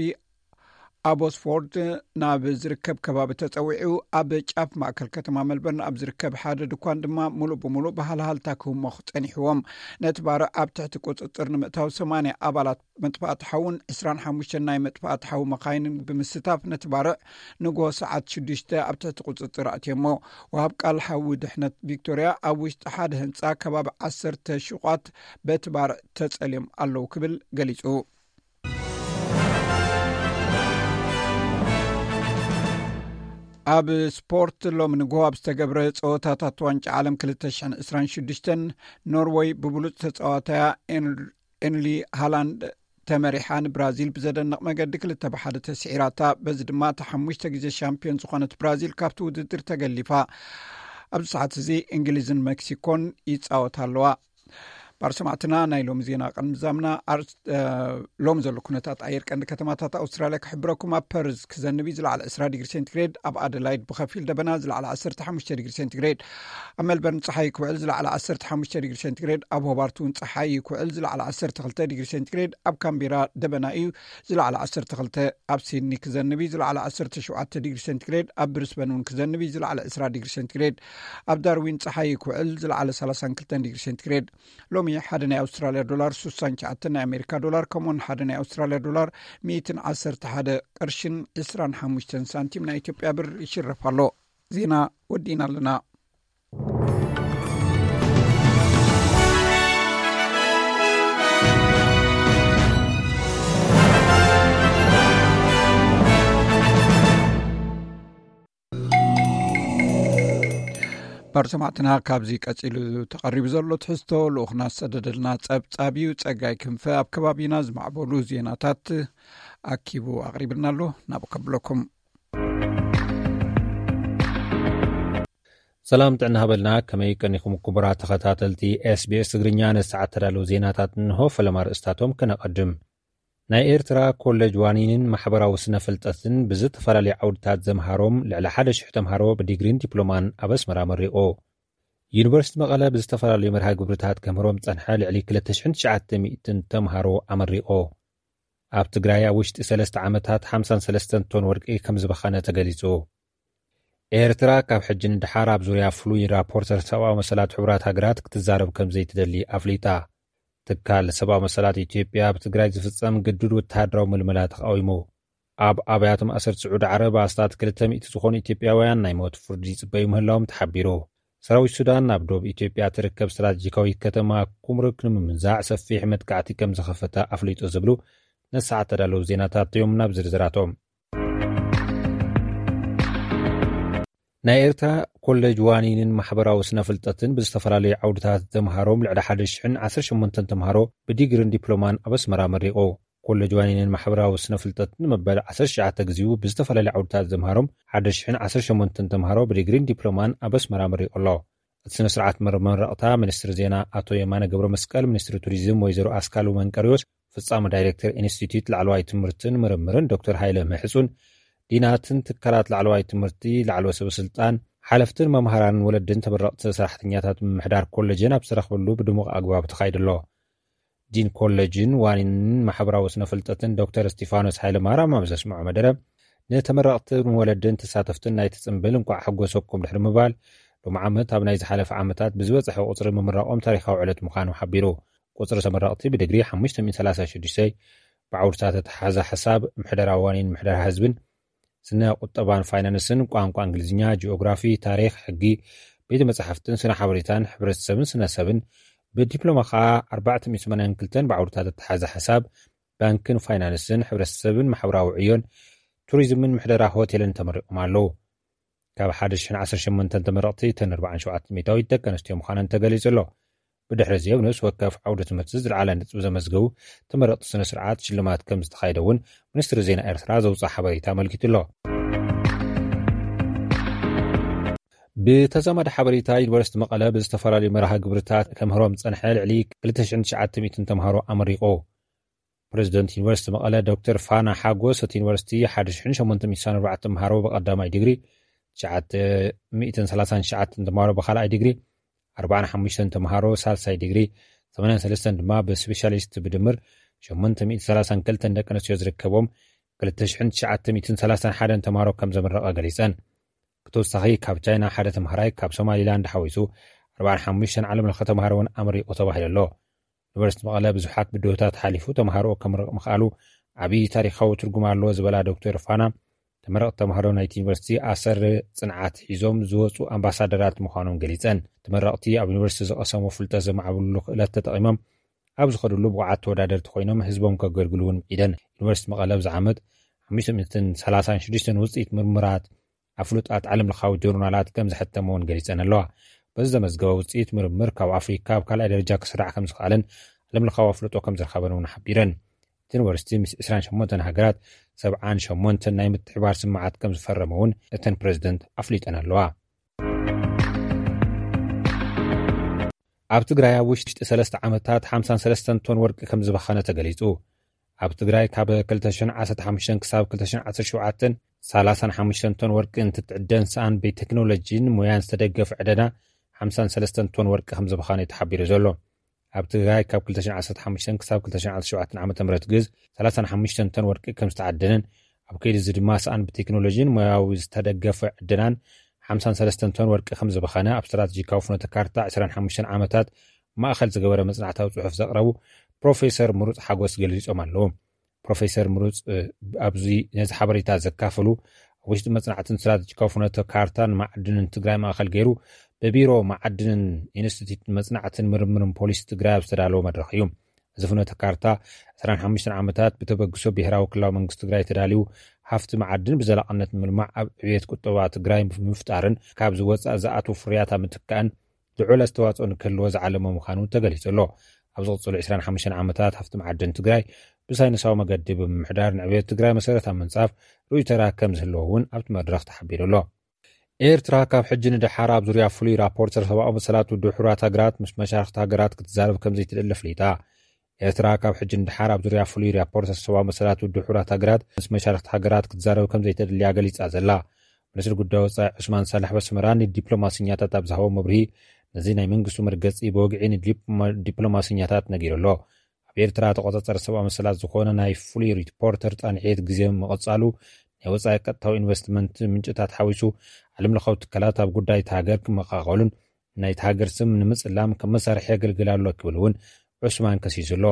ኣቦስፎርድ ናብ ዝርከብ ከባቢ ተጸዊዑ፣ ኣብ ጫፍ ማእከል ከተማ መልበርን ኣብ ዝርከብ ሓደ ድኳን ድማ ምሉእ ብምሉእ ብሃልሃልታ ክህሞኽ ጸኒሕዎም። ነቲ ባርዕ ኣብ ትሕቲ ቁጽጽር ንምእታው ሰማንያ ኣባላት መጥፋእቲ ሓውን ዕስራን ሓሙሽተን ናይ መጥፋእቲ ሓዊ መኻይንን ብምስታፍ ነቲ ባርዕ ንጎ ሰዓት ሽዱሽተ ኣብ ትሕቲ ቁጽጽር ኣእትዮሞ። ወሃብ ቃል ሓዊ ድሕነት ቪክቶርያ፣ ኣብ ውሽጢ ሓደ ህንጻ ከባቢ ዓሰርተ ሹቓት በቲ ባርዕ ተጸልዮም ኣለዉ ክብል ገሊጹ። ኣብ ስፖርት፣ ሎሚ ንግሆ ኣብ ዝተገብረ ጸወታታት ዋንጫ ዓለም ክልተ ሽሕን ዕስራን ሽዱሽተን፣ ኖርወይ ብብሉጽ ተጻዋታያ ኤን- ኤርሊ ሃላንድ ተመሪሓ ንብራዚል ብዘደንቕ መገዲ ክልተ ብሓደ ተስዒራታ። በዚ ድማ እታ ሓሙሽተ ግዜ ሻምፒዮን ዝኾነት ብራዚል ካብቲ ውድድር ተገሊፋ። ኣብዚ ሰዓት እዚ እንግሊዝን ሜክሲኮን ይጻወታ ኣለዋ። ባር ሰማዕትና፣ ናይ ሎሚ ዜና ቅድሚ ምዛምና፣ ኣር- እ፣ ሎሚ ዘሎ ኩነታት ኣየር ቀንዲ ከተማታት ኣውስትራልያ ክሕብረኩም። ኣብ ፐርዝ ክዘንብ እዩ፣ ዝለዓለ ዕስራ ዲግሪ ሴንቲግሬድ። ኣብ ኣደላይድ ብኸፊል ደበና፣ ዝለዓለ ዓሰርተ ሓሙሽተ ዲግሪ ሴንቲግሬድ። ኣብ ሜልበርን ጸሓይ ክውዕል፣ ዝለዓለ ዓሰርተ ሓሙሽተ ዲግሪ ሴንቲግሬድ። ኣብ ሆባርት እውን ጸሓይ ክውዕል፣ ዝለዓለ ዓሰርተ ክልተ ዲግሪ ሴንቲግሬድ። ኣብ ካምቤራ ደበና እዩ፣ ዝለዓለ ዓሰርተ ክልተ። ኣብ ሲድኒ ክዘንብ እዩ፣ ዝለዓለ ዓሰርተ ሸውዓተ ዲግሪ ሴንቲግሬድ። ኣብ ብሪስበን እውን ክዘንብ እዩ፣ ዝለዓለ ዕስራ ዲግሪ ሴንቲግሬድ። ኣብ ዳርዊን ጸሓይ ክውዕል፣ ዝለዓለ ሰላሳን ክልተን ዲግሪ ሴንቲግሬድ። ሎሚ ሓደ ናይ ኣውስትራልያ ዶላር ስሳን ትሽዓተን ናይ ኣሜሪካ ዶላር፣ ከምኡውን ሓደ ናይ ኣውስትራልያ ዶላር ሚእትን ዓሰርተ ሓደ ቅርሽን ዕስራን ሓሙሽተን ሳንቲም ናይ ኢትዮጵያ ብር ይሽረፍ ኣሎ። ዜና ወዲእና ኣለና። ባር ሰማዕትና፣ ካብዚ ቀጺሉ ተቐሪቡ ዘሎ ትሕዝቶ ልኡኽና ዝሰደደልና ጸብጻብ እዩ። ጸጋይ ክንፈ ኣብ ከባቢና ዝማዕበሉ ዜናታት ኣኪቡ ኣቕሪብልና ኣሎ። ናብኡ ከብለኩም። ሰላም ጥዕና ሃበልና። ከመይ ቀኒኹም ክቡራት ተኸታተልቲ ኤስቢኤስ ትግርኛ? ነዚ ሰዓት ተዳለዉ ዜናታት እንሆ። ፈለማ ርእስታቶም ከነቐድም። ናይ ኤርትራ ኮሌጅ ዋኒንን ማሕበራዊ ስነ ፍልጠትን ብዝተፈላለዩ ዓውድታት ዘምሃሮም ልዕሊ ሓደ ሽሕ ተምሃሮ ብዲግሪን ዲፕሎማን ኣብ ኣስመራ ኣመሪቑ። ዩኒቨርሲቲ መቐለ ብዝተፈላለዩ መርሃ ግብርታት ከምህሮም ዝጸንሐ ልዕሊ ክልተ ሽሕን ትሽዓተ ሚእትን ተምሃሮ ኣመሪቑ። ኣብ ትግራይ ኣብ ውሽጢ ሰለስተ ዓመታት ሓምሳን ሰለስተን ቶን ወርቂ ከም ዝበኸነ ተገሊጹ። ኤርትራ ካብ ሕጂ ንደሓር ኣብ ዙርያ ፍሉይ ራፖርተር ሰብኣዊ መሰላት ሕቡራት ሃገራት ክትዛረብ ከም ዘይትደሊ ኣፍሊጣ። ትካል ሰብኣዊ መሰላት ኢትዮጵያ ኣብ ትግራይ ዝፍጸም ግዱድ ወተሃደራዊ ምልመላ ተቃዊሙ። ኣብ ኣብያተ ማእሰርቲ ስዑዲ ዓረብ ኣስታት ክልተ ሚእቲ ዝኾኑ ኢትዮጵያውያን ናይ ሞት ፍርዲ ይጽበዩ ምህላዎም ተሓቢሩ። ሰራዊት ሱዳን ናብ ዶብ ኢትዮጵያ ትርከብ ስትራቴጂካዊት ከተማ ኩምሩክ ንምምንዛዕ ሰፊሕ መጥቃዕቲ ከም ዝኸፈተ ኣፍሊጡ ዝብሉ ነሰዓት ተዳለዉ ዜናታት እዮም። ናብ ዝርዝራቶም። ናይ ኤርትራ ኮሌጅ ዋኒንን ማሕበራዊ ስነ ፍልጠትን ብዝተፈላለዩ ዓውድታት ዘምሃሮም ልዕሊ ሓደ ሽሕን ዓሰርተ ሸሞንተን ተምሃሮ ብዲግሪን ዲፕሎማን ኣብ ኣስመራ መሪቑ። ኮሌጅ ዋኒንን ማሕበራዊ ስነ ፍልጠትን መበል ዓሰርተ ትሽዓተ ግዜኡ ብዝተፈላለዩ ዓውድታት ዘምሃሮም ሓደ ሽሕን ዓሰርተ ሸሞንተን ተምሃሮ ብዲግሪን ዲፕሎማን ኣብ ኣስመራ መሪቑ ኣሎ። እቲ ስነ ስርዓት መመረቕታ ሚኒስትሪ ዜና ኣቶ የማነ ገብረ መስቀል፣ ሚኒስትሪ ቱሪዝም ወይዘሮ ኣስካሉ መንቀሪዎስ፣ ፍጻመ ዳይሬክተር ኢንስቲትዩት ላዕለዋይ ትምህርትን ምርምርን ዶክተር ሃይለ ምሕጹን፣ ዲናትን ትካላት ላዕለዋይ ትምህርቲ፣ ላዕለወ ሰበ ስልጣን፣ ሓለፍትን መምሃራንን ወለድን ተመረቕቲ ሰራሕተኛታት ምምሕዳር ኮሌጅን ኣብ ዝተረኽበሉ ብድሙቕ ኣግባብ ተኻይዱ ኣሎ። ዲን ኮሌጅን ዋኒንን ማሕበራዊ ስነ ፍልጠትን ዶክተር እስቲፋኖስ ሃይለ ማርያም ኣብ ዘስምዖ መደረ፣ ንተመረቕትን ወለድን ተሳተፍትን ናይቲ ጽምብል እንቋዕ ሓጎሰኩም ድሕሪ ምባል፣ ሎም ዓመት ኣብ ናይ ዝሓለፈ ዓመታት ብዝበጽሐ ቁጽሪ ምምራቖም ታሪኻዊ ዕለት ምዃኑ ሓቢሩ። ቁጽሪ ተመረቕቲ ብዲግሪ ሓሙሽተ ሚእትን ሰላሳ ሽዱሽተ፣ ብዓውድታት ኣተሓሕዛ ሓሳብ፣ ምሕደራ ዋኒን ምሕደራ ህዝብን፣ ስነ ቁጠባን ፋይናንስን፣ ቋንቋ እንግሊዝኛ፣ ጂኦግራፊ፣ ታሪኽ፣ ሕጊ፣ ቤተ መጻሕፍትን ስነ ሓበሬታን፣ ሕብረተሰብን ስነ ሰብን፣ ብዲፕሎማ ኸኣ ኣርባዕተ ሚእቲ ሰማንያን ክልተን ብዓውድታት ኣተሓሕዛ ሓሳብ፣ ባንክን ፋይናንስን፣ ሕብረተሰብን ማሕበራዊ ዕዮን፣ ቱሪዝምን ምሕደራ ሆቴልን ተመሪቖም ኣለዉ። ካብ ሓደ ሽሕን ዓሰርተ ሸሞንተን ተመረቕቲ እተን ኣርባዓን ሸውዓተን ሚእታዊት ደቂ ኣንስትዮ ምዃነን ተገሊጹ ኣሎ። ብድሕሪ እዚ ኣብ ነፍሲ ወከፍ ዓውደ ትምህርቲ ዝለዓለ ነጥቢ ዘመዝገቡ ተመረቕቲ ስነ ስርዓት ሽልማት ከም ዝተኻየደ እውን ሚኒስትሪ ዜና ኤርትራ ዘውፅኣ ሓበሬታ ኣመልኪቱ ኣሎ። ብተዛማዲ ሓበሬታ፣ ዩኒቨርሲቲ መቐለ ብዝተፈላለዩ መርሃ ግብርታት ከምህሮም ዝጸንሐ ልዕሊ ክልተ ሽሕን ትሽዓተ ሚእትን ተምሃሮ ኣመሪቑ። ፕሬዚደንት ዩኒቨርሲቲ መቐለ ዶክተር ፋና ሓጎስ፣ እቲ ዩኒቨርሲቲ ሓደ ሽሕን ሸሞንተ ሚእትን ኣርባዕተን ተምሃሮ ብቐዳማይ ዲግሪ፣ ትሽዓተ ሚእትን ሰላሳን ትሽዓተን ተምሃሮ ብኻልኣይ ዲግሪ፣ ኣርባዓን ሓሙሽተን ተምሃሮ ሳልሳይ ዲግሪ፣ ሰማንያን ሰለስተን ድማ ብስፔሻሊስት ብድምር ሸሞንተ ሚእትን ሰላሳን ክልተን ደቂ ኣንስትዮ ዝርከቦም ክልተ ሽሕን ትሽዓተ ሚእትን ሰላሳን ሓደን ተምሃሮ ከም ዘመረቐ ገሊጸን። ብተወሳኺ ካብ ቻይና ሓደ ተምሃራይ፣ ካብ ሶማሊላንድ ሓዊሱ ኣርባዓን ሓሙሽተን ዓለም ለኸ ተምሃሮ እውን ኣመሪቑ ተባሂሉ ኣሎ። ዩኒቨርሲቲ መቐለ ብዙሓት ብድሆታት ሓሊፉ ተምሃሮኡ ከምርቕ ምኽኣሉ ዓብዪ ታሪኻዊ ትርጉም ኣለዎ ዝበላ ዶክተር ፋና፣ ተመረቕቲ ተምሃሮ ናይቲ ዩኒቨርሲቲ ኣሰር ጽንዓት ሒዞም ዝወጹ ኣምባሳደራት ምዃኖም ገሊጸን። ተመረቕቲ ኣብ ዩኒቨርሲቲ ዝቐሰሞ ፍልጠት ዘማዕብልሉ ክእለት ተጠቒሞም ኣብ ዝኸድሉ ብቑዓት ተወዳደርቲ ኮይኖም ህዝቦም ከገልግሉ እውን ምዒደን። ዩኒቨርሲቲ መቐለ ኣብዚ ዓመት ሓሙሽተ ሚእትን ሰላሳን ሽዱሽተን ውጽኢት ምርምራት ኣብ ፍሉጣት ዓለምለኻዊ ጆርናላት ከም ዘሐተመ እውን ገሊጸን ኣለዋ። በዚ ዘመዝገበ ውጽኢት ምርምር ካብ ኣፍሪካ ኣብ ካልኣይ ደረጃ ክስራዕ ከም ዝኽኣለን ዓለምለኻዊ ኣፍልጦ ከም ዝረኸበን እውን ሓቢረን። እቲ ዩኒቨርሲቲ ምስ ዕስራን ሸሞንተን ሃገራት ሰብዓን ሸሞንተን ናይ ምትሕባር ስምምዓት ከም ዝፈረመ እውን እተን ፕሬዚደንት ኣፍሊጠን ኣለዋ። ኣብ ትግራይ ኣብ ውሽጢ ሰለስተ ዓመታት ሓምሳን ሰለስተን ቶን ወርቂ ከም ዝባኸነ ተገሊጹ። ኣብ ትግራይ ካብ ክልተ ሽሕን ዓሰርተ ሓሙሽተን ክሳብ ክልተ ሽሕን ዓሰርተ ሸውዓተን ሰላሳን ሓሙሽተን ቶን ወርቂ እንትትዕደን ሰኣን ብቴክኖሎጂን ሞያን ዝተደገፈ ዕደና ሓምሳን ሰለስተን ቶን ወርቂ ከም ዝባኸነ እዩ ተሓቢሩ ዘሎ። ኣብ ትግራይ ካብ ክልተ ሽሕን ዓሰርተ ሓሙሽተን ክሳብ ክልተ ሽሕን ዓሰርተ ሸውዓተን ዓመተ ምህረት ግዝ ሰላሳን ሓሙሽተን ቶን ወርቂ ከም ዝተዓደነን ኣብ ከይዲ እዚ ድማ ሰኣን ብቴክኖሎጂን ሞያዊ ዝተደገፈ ዕደናን ሓምሳን ሰለስተን ቶን ወርቂ ከም ዝባኸነ ኣብ ስትራቴጂካዊ ፍኖተ ካርታ ዕስራን ሓሙሽተን ዓመታት ማእኸል ዝገበረ መጽናዕታዊ ጽሑፍ ዘቕረቡ ፕሮፌሰር ምሩጽ ሓጎስ ገሊጾም ኣለዉ። ፕሮፌሰር ምሩጽ፣ እ፣ ኣብዚ ነዚ ሓበሬታ ዘካፈሉ፣ ኣብ ውሽጢ መጽናዕትን ስትራቴጂካዊ ፍኖተ ካርታን ማዕድንን ትግራይ ማእኸል ገይሩ ብቢሮ ማዕድንን ኢንስቲትዩት መጽናዕትን ምርምርን ፖሊሲ ትግራይ ኣብ ዝተዳለወ መድረኽ እዩ። እዚ ፍኖተ ካርታ ዕስራን ሓሙሽተን ዓመታት ብተበግሶ ብሄራዊ ክልላዊ መንግስቲ ትግራይ ተዳልዩ፣ ሃፍቲ መዓድን ብዘላቕነት ንምልማዕ ኣብ ዕብየት ቁጠባ ትግራይ ብምፍጣርን ካብ ዝወጻእ ዝኣትዉ ፍርያት ኣብ ምትካእን ልዑል ኣስተዋጽኦ ንክህልዎ ዝዓለመ ምዃኑ ተገሊጹ ኣሎ። ኣብ ዝቕጽሉ ዕስራን ሓሙሽተን ዓመታት ሃፍቲ መዓድን ትግራይ ብሳይንሳዊ መገዲ ብምምሕዳር ንዕብየት ትግራይ መሰረት ኣብ ምንጻፍ ርኡይ ተራ ከም ዝህልዎ እውን ኣብቲ መድረኽ ተሓቢሩ ኣሎ። ኤርትራ ካብ ሕጂ ንደሓር ኣብ ዙርያ ፍሉይ ራፖርተር ሰብኣዊ መሰላት ውድብ ሕቡራት ሃገራት ምስ መሻርኽቲ ሃገራት ክትዛረብ ከም ዘይትደሊ ኣፍሊጣ። ኤርትራ ካብ ሕጂ ንደሓር ኣብ ዙርያ ፍሉይ ራፖርተር ሰብኣዊ መሰላት ውድብ ሕቡራት ሃገራት ምስ መሻርኽቲ ሃገራት ክትዛረብ ከም ዘይተደልያ ገሊጻ ዘላ ሚኒስትሪ ጉዳይ ወጻኢ ዑስማን ሳልሕ በስመራ ንዲፕሎማሲኛታት ኣብ ዝሃቦ መብርሂ፣ ነዚ ናይ መንግስቱ መርገጺ ብወግዒ ንዲፕሎማ-፣ ዲፕሎማሲኛታት ነጊሩ ኣሎ። ኣብ ኤርትራ ተቆጻጻሪ ሰብኣዊ መሰላት ዝኾነ ናይ ፍሉይ ሪፖርተር ጻንሒት ግዜ ምቕጻሉ፣ ናይ ወጻኢ ቀጥታዊ ኢንቨስትመንት ምንጭታት ሓዊሱ፣ ዓለምለኻዊ ትካላት ኣብ ጉዳይ እታ ሃገር ክመቓቐሉን ናይቲ ሃገር ስም ንምጽላም ከም መሳርሒ የገልግል ኣሎ ክብል እውን ዑስማን ከሲሱ ኣሎ።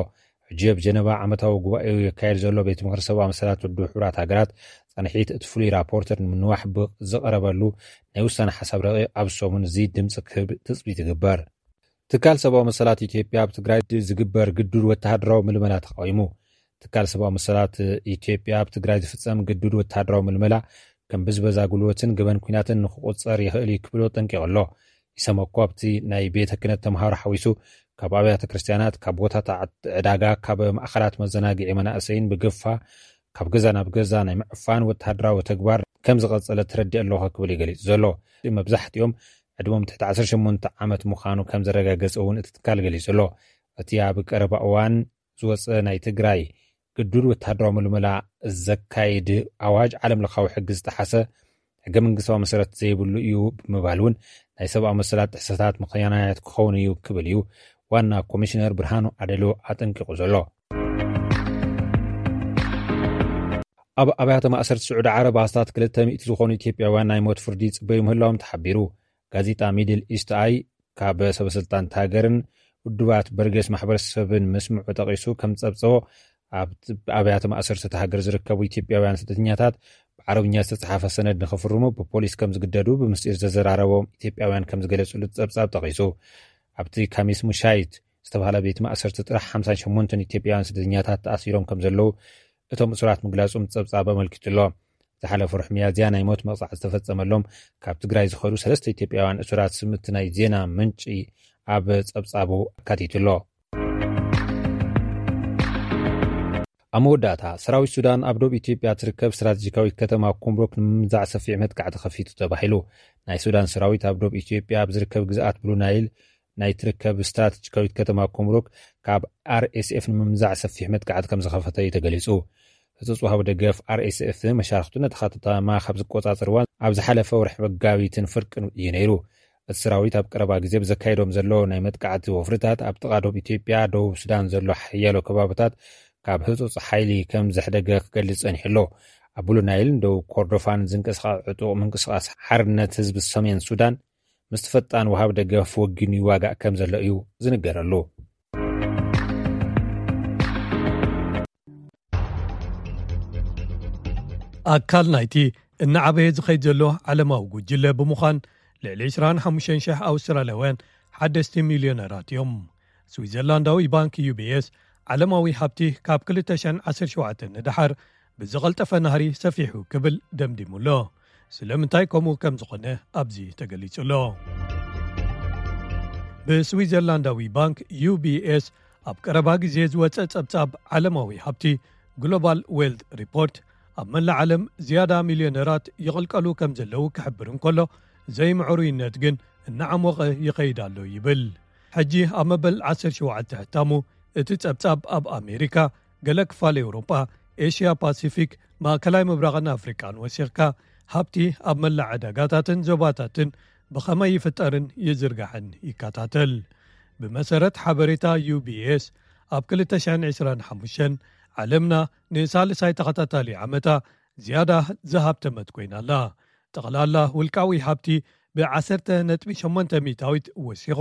ሕጂ ኣብ ጀነቫ ዓመታዊ ጉባኤኡ የካየድ ዘሎ ቤት ምኽሪ ሰብኣዊ መሰላት ውድብ ሕቡራት ሃገራት፣ ጻንሒት እቲ ፍሉይ ራፖርተር ንምንዋሕ ብ-፣ ዝቐረበሉ ናይ ውሳነ ሓሳብ ረቂቕ ኣብዚ ሰሙን እዚ ድምጺ ክህብ ትጽቢት ይግበር። ትካል ሰብኣዊ መሰላት ኢትዮጵያ ኣብ ትግራይ ድ-፣ ዝግበር ግዱድ ወተሃደራዊ ምልመላ ተቃዊሙ። ትካል ሰብኣዊ መሰላት ኢትዮጵያ ኣብ ትግራይ ዝፍጸም ግዱድ ወተሃደራዊ ምልመላ ከም ብዝበዛ ጉልበትን ገበን ኲናትን ንክቑጸር ይኽእል እዩ ክብል ኣጠንቂቑ ኣሎ። ኢሰመኮ ኣብቲ ናይ ቤተ ክህነት ተምሃሮ ሓዊሱ ካብ ኣብያተ ክርስቲያናት፣ ካብ ቦታታት ዕዳጋ፣ ካብ ማእኸላት መዘናግዒ መናእሰይን ብግፋ ካብ ገዛ ናብ ገዛ ናይ ምዕፋን ወተሃደራዊ ተግባር ከም ዝቐጸለ ተረዲእ ኣለኹ ክብል እዩ ገሊጹ ዘሎ። መብዛሕትኦም ዕድሞም ትሕቲ ዓሰርተ ሸሞንተ ዓመት ምዃኑ ከም ዘረጋገጸ እውን እቲ ትካል ገሊጹ ኣሎ። እቲ ኣብ ቀረባ እዋን ዝወጸ ናይ ትግራይ ግዱድ ወተሃደራዊ ምልመላ ዘካይድ ኣዋጅ ዓለም ለኻዊ ሕጊ ዝጠሓሰ፣ ሕገ መንግስታዊ መሰረት ዘይብሉ እዩ ብምባል እውን ናይ ሰብኣዊ መሰላት ጥሕሰታት ምኽንያት ክኸውን እዩ ክብል እዩ ዋና ኮሚሽነር ብርሃኑ ኣደሎ ኣጠንቂቑ ዘሎ። ኣብ ኣብያተ ማእሰርቲ ስዑዲ ዓረብ ኣስታት ክልተ ሚእቲ ዝኾኑ ኢትዮጵያውያን ናይ ሞት ፍርዲ ይጽበዩ ምህላዎም ተሓቢሩ። ጋዜጣ ሚድል ኢስት ኣይ ካብ ሰበስልጣን ሃገርን ውድባት በርጌስ ማሕበረሰብን ምስምዑ ጠቒሱ ከም ጸብጸቦ፣ ኣብ ኣብያተ ማእሰርቲ እታ ሃገር ዝርከቡ ኢትዮጵያውያን ስደተኛታት ብዓረብኛ ዝተጻሓፈ ሰነድ ንኽፍርሙ ብፖሊስ ከም ዝግደዱ ብምስጢር ዘዘራረቦም ኢትዮጵያውያን ከም ዝገለጹሉ ጸብጻብ ጠቒሱ። ኣብቲ ካሚስ ሙሻይት ዝተባህለ ቤት ማእሰርቲ ጥራሕ ሓምሳን ሸሞንተን ኢትዮጵያውያን ስደተኛታት ተኣሲሮም ከም ዘለዉ እቶም እሱራት ምግላጹም ጸብጻብ ኣመልኪቱ ኣሎ። ዝሓለፈ ወርሒ ሚያዝያ ናይ ሞት መቕጻዕቲ ዝተፈጸመሎም ካብ ትግራይ ዝኸዱ ሰለስተ ኢትዮጵያውያን እሱራት ስም እቲ ናይ ዜና ምንጪ ኣብ ጸብጻቡ ኣካቲቱ ኣሎ። ኣብ መወዳእታ፣ ሰራዊት ሱዳን ኣብ ዶብ ኢትዮጵያ ትርከብ ስትራቴጂካዊት ከተማ ኩምሩክ ንምምዛዕ ሰፊሕ መጥቃዕቲ ከፊቱ ተባሂሉ። ናይ ሱዳን ሰራዊት ኣብ ዶብ ኢትዮጵያ ኣብ ዝርከብ ግዝኣት ብሉ ናይል ናይ ትርከብ ስትራቴጂካዊት ከተማ ኩምሩክ ካብ ኣር ኤስ ኤፍ ንምምዛዕ ሰፊሕ መጥቃዕቲ ከም ዝኸፈተ እዩ ተገሊጹ። ህጹጽ ወሃቢ ደገፍ ኣር ኤስ ኤፍ መሻርኽቱ ነቲ ከተማ ካብ ዝቆጻጸርዋ ኣብ ዝሓለፈ ወርሒ መጋቢትን ፍርቅን እዩ ነይሩ። እቲ ሰራዊት ኣብ ቀረባ ግዜ ብዘካየዶም ዘሎ ናይ መጥቃዕቲ ወፍርታት ኣብ ጥቓ ዶብ ኢትዮጵያ፣ ደቡብ ሱዳን ዘሎ ሓያሎ ከባብታት ካብ ህጹጽ ሓይሊ ከም ዘሕደገ ክገልጽ ጸኒሑ ኣሎ። ኣብ ብሉ ናይልን ደቡብ ኮርዶፋን ዝንቀሳቐስ ዕጡቕ ምንቅስቓስ ሓርነት ህዝቢ ሰሜን ሱዳን ምስቲ ፈጣን ወሃቢ ደገፍ ወጊኑ ይዋጋእ ከም ዘሎ እዩ ዝንገረሉ። ኣካል ናይቲ እናዓበየ ዝኸይድ ዘሎ ዓለማዊ ጉጅለ ብምዃን፣ ልዕሊ ዕስራን ሓሙሽተን ሽሕ ኣውስትራልያውያን ሓደስቲ ሚልዮነራት እዮም። ስዊዘርላንዳዊ ባንክ ዩ ቢ ኤስ፣ ዓለማዊ ሃብቲ ካብ ክልተ ሽሕን ዓሰርተ ሸውዓተን ንደሓር ብዝቐልጠፈ ናህሪ ሰፊሑ ክብል ደምዲሙ ኣሎ። ስለምንታይ ከምኡ ከም ዝኾነ ኣብዚ ተገሊጹ ኣሎ። ብስዊዘርላንዳዊ ባንክ ዩ ቢ ኤስ ኣብ ቀረባ ግዜ ዝወጸ ጸብጻብ ዓለማዊ ሃብቲ ግሎባል ዌልት ሪፖርት፣ ኣብ መላእ ዓለም ዝያዳ ሚልዮነራት ይቕልቀሉ ከም ዘለዉ ክሕብር እንከሎ፣ ዘይምዕሩይነት ግን እናዓሞቐ ይኸይድ ኣሎ ይብል። ሕጂ ኣብ መበል ዓሰርተ ሸውዓተ ሕታሙ፣ እቲ ጸብጻብ ኣብ ኣሜሪካ፣ ገለ ክፋል ኤውሮጳ፣ ኤሽያ ፓሲፊክ፣ ማእከላይ ምብራቕን ኣፍሪቃን ወሲኽካ፣ ሃብቲ ኣብ መላእ ዕዳጋታትን ዞባታትን ብኸመይ ይፍጠርን ይዝርጋሕን ይከታተል። ብመሰረት ሓበሬታ ዩ ቢ ኤስ፣ ኣብ ክልተ ሽሕን ዕስራን ሓሙሽተን ዓለምና ንሳልሳይ ተኸታታሊ ዓመታ ዝያዳ ዝሃብተመት ኮይና ኣላ። ጠቕላላ ውልቃዊ ሃብቲ ብ ዓሰርተ ነጥቢ ሸሞንተ ሚእታዊት ወሲኹ፣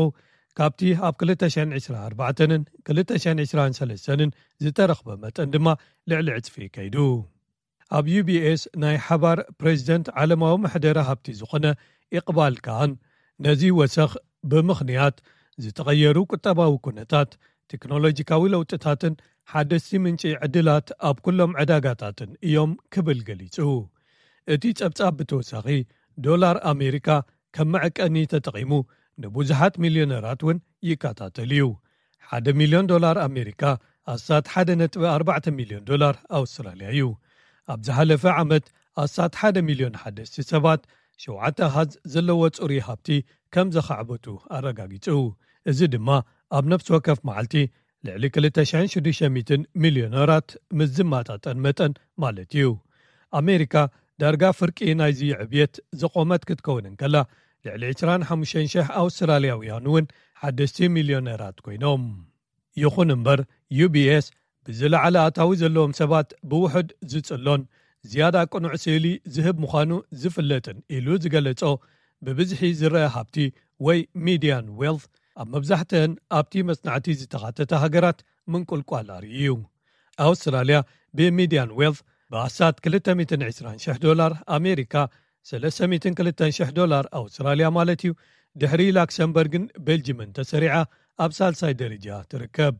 ካብቲ ኣብ ክልተ ሽሕን ዕስራን ኣርባዕተንን ክልተ ሽሕን ዕስራን ሰለስተንን ዝተረኽበ መጠን ድማ ልዕሊ ዕጽፊ ከይዱ። ኣብ ዩ ቢ ኤስ ናይ ሓባር ፕሬዚደንት ዓለማዊ መሕደሪ ሃብቲ ዝኾነ ኢቕባል ካህን፣ ነዚ ወሰኽ ብምኽንያት ዝተቐየሩ ቁጠባዊ ኩነታት፣ ቴክኖሎጂካዊ ለውጥታትን ሓደስቲ ምንጪ ዕድላት ኣብ ኩሎም ዕዳጋታትን እዮም ክብል ገሊጹ። እቲ ጸብጻብ ብተወሳኺ፣ ዶላር ኣሜሪካ ከም መዐቀኒ ተጠቒሙ ንብዙሓት ሚልዮነራት እውን ይከታተል እዩ። ሓደ ሚልዮን ዶላር ኣሜሪካ ኣስታት ሓደ ነጥቢ ኣርባዕተ ሚልዮን ዶላር ኣውስትራልያ እዩ። ኣብ ዝሓለፈ ዓመት ኣስታት ሓደ ሚልዮን ሓደስቲ ሰባት ሸውዓተ ኣሃዝ ዘለዎ ጽሩይ ሃብቲ ከም ዘኻዕበቱ ኣረጋጊጹ። እዚ ድማ ኣብ ነፍሲ ወከፍ መዓልቲ ልዕሊ ክልተ ሽሕን ሽዱሽተ ሚእትን ሚልዮነራት ምስ ዝመጣጠን መጠን ማለት እዩ። ኣሜሪካ ዳርጋ ፍርቂ ናይዚ ዕብየት ዘቖመት ክትከውን እንከላ፣ ልዕሊ ዕስራን ሓሙሽተን ሽሕ ኣውስትራልያውያን እውን ሓደስቲ ሚልዮነራት ኮይኖም። ይኹን እምበር፣ ዩ ቢ ኤስ ብዝለዓለ ኣታዊ ዘለዎም ሰባት ብውሑድ ዝጽሎን ዝያዳ ቅኑዕ ስእሊ ዝህብ ምዃኑ ዝፍለጥን ኢሉ ዝገለጾ ብብዝሒ ዝረአ ሃብቲ ወይ ሚድያን ዌልት ኣብ መብዛሕትአን ኣብቲ መጽናዕቲ ዝተኻተታ ሃገራት ምንቁልቋል ኣርእዩ እዩ። ኣውስትራልያ ብሚድያን ዌልት ብኣስታት ክልተ ሚእትን ዕስራን ሽሕ ዶላር ኣሜሪካ፣ ሰለስተ ሚእትን ክልተን ሽሕ ዶላር ኣውስትራልያ ማለት እዩ፣ ድሕሪ ላክሰምበርግን ቤልጅምን ተሰሪዓ ኣብ ሳልሳይ ደረጃ ትርከብ።